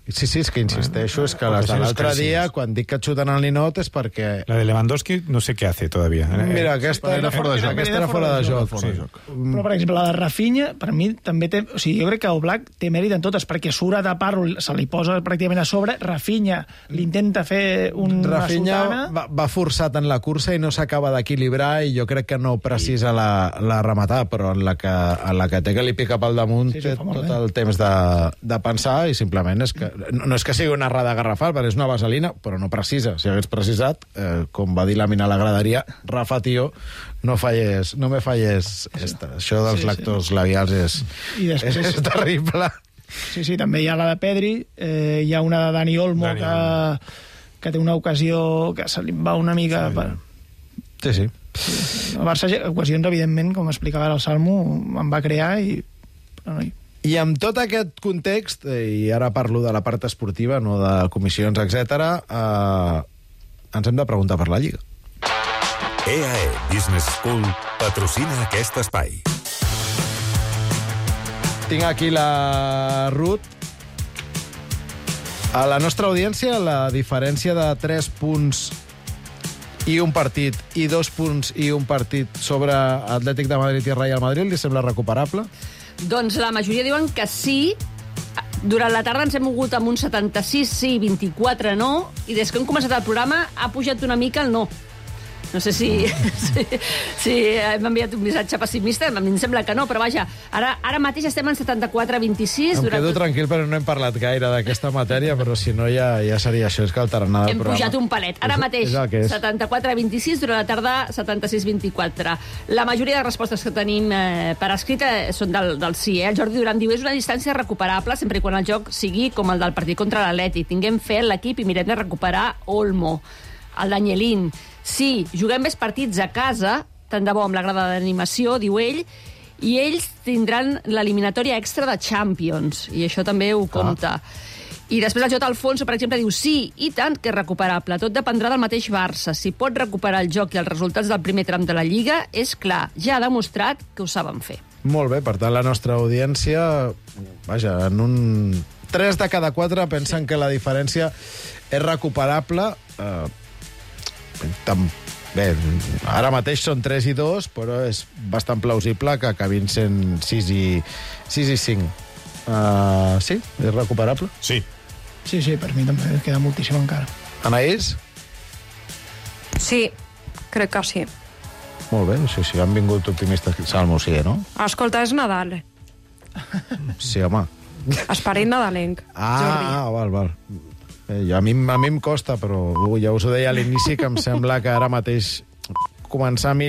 Sí, sí, és que insisteixo, és que les de l'altre dia, quan dic que et xuten al ninot, és perquè... La de Lewandowski no sé què hace todavía. Mira, aquesta era fora de joc. Aquesta era fora de joc. Sí. Però, per exemple, la de Rafinha, per mi, també té... O sigui, jo crec que Oblak té mèrit en totes, perquè surt a tapar-lo, se li posa pràcticament a sobre, Rafinha l'intenta fer un... Rafinha una va, va forçat en la cursa i no s'acaba d'equilibrar, i jo crec que no precisa la, la rematada, però en la, que, en la que té que li pica pel damunt, sí, sí, té tot bé. El temps de, de pensar, i simplement és que... No, no és que sigui una errada garrafal, perquè és una vaselina, però no precisa. Si hagués precisat, eh, com va dir la mina a la graderia, Rafa, tio, no falles, no me falles esta. Això dels sí, lactos sí. labials és, I després, és, és terrible. Sí, sí, també hi ha la de Pedri, eh, hi ha una de Dani Olmo, Dani. Que, que té una ocasió que se li va una mica... Sí, per... sí. sí. El Barça, ocasions, evidentment, com explicava el Salmo, en va crear i... Però no hi... I amb tot aquest context, i ara parlo de la part esportiva, no de comissions, etcètera, eh, ens hem de preguntar per la Lliga. E A E Business School patrocina aquest espai. Tinc aquí la Ruth. A la nostra audiència, la diferència de tres punts i un partit i dos punts i un partit sobre Atlètic de Madrid i Real Madrid li sembla recuperable? Doncs la majoria diuen que sí. Durant la tarda ens hem mogut amb un setanta-sis sí, vint-i-quatre no, i des que hem començat el programa ha pujat una mica el no. No sé si, si, si hem enviat un missatge pessimista, a mi em sembla que no, però vaja, ara, ara mateix estem en setanta-quatre a vint-i-sis. Em durant quedo tot... tranquil, però no hem parlat gaire d'aquesta matèria, però si no ja, ja seria això, és que el tarannà del Hem programa... pujat un palet. Ara És- mateix, és el que és. setanta-quatre a vint-i-sis, durant la tarda, setanta-sis a vint-i-quatre. La majoria de respostes que tenim eh, per escrit eh, són del, del sí. Eh? El Jordi Duran diu, és una distància recuperable sempre i quan el joc sigui com el del partit contra l'Atlètic. Tinguem fe en l'equip i mirem de recuperar Olmo. El Danielín. Sí, juguem més partits a casa, tant de bo amb la grada d'animació, diu ell, i ells tindran l'eliminatòria extra de Champions, i això també ho compta. Ah. I després el J. Alfonso, per exemple, diu sí, i tant que és recuperable. Tot dependrà del mateix Barça. Si pot recuperar el joc i els resultats del primer tram de la Lliga, és clar, ja ha demostrat que ho saben fer. Molt bé, per tant, la nostra audiència, vaja, en un... tres de cada quatre pensen que la diferència és recuperable. Eh, tam... Bé, ara mateix són tres i dos, però és bastant plausible que acabin sent sis i cinc. Uh, sí? És recuperable? Sí. Sí, sí, per mi també queda moltíssim encara. Anaïs? Sí, crec que sí. Molt bé, sí, sí, han vingut optimistes. Salmo, sí, no? Escolta, és Nadal. Sí, home. Esperit nadalenc. Ah, ah, val, val. Eh, a, mi, a mi em costa, però ui, ja us ho deia a l'inici, que em sembla que ara mateix començar a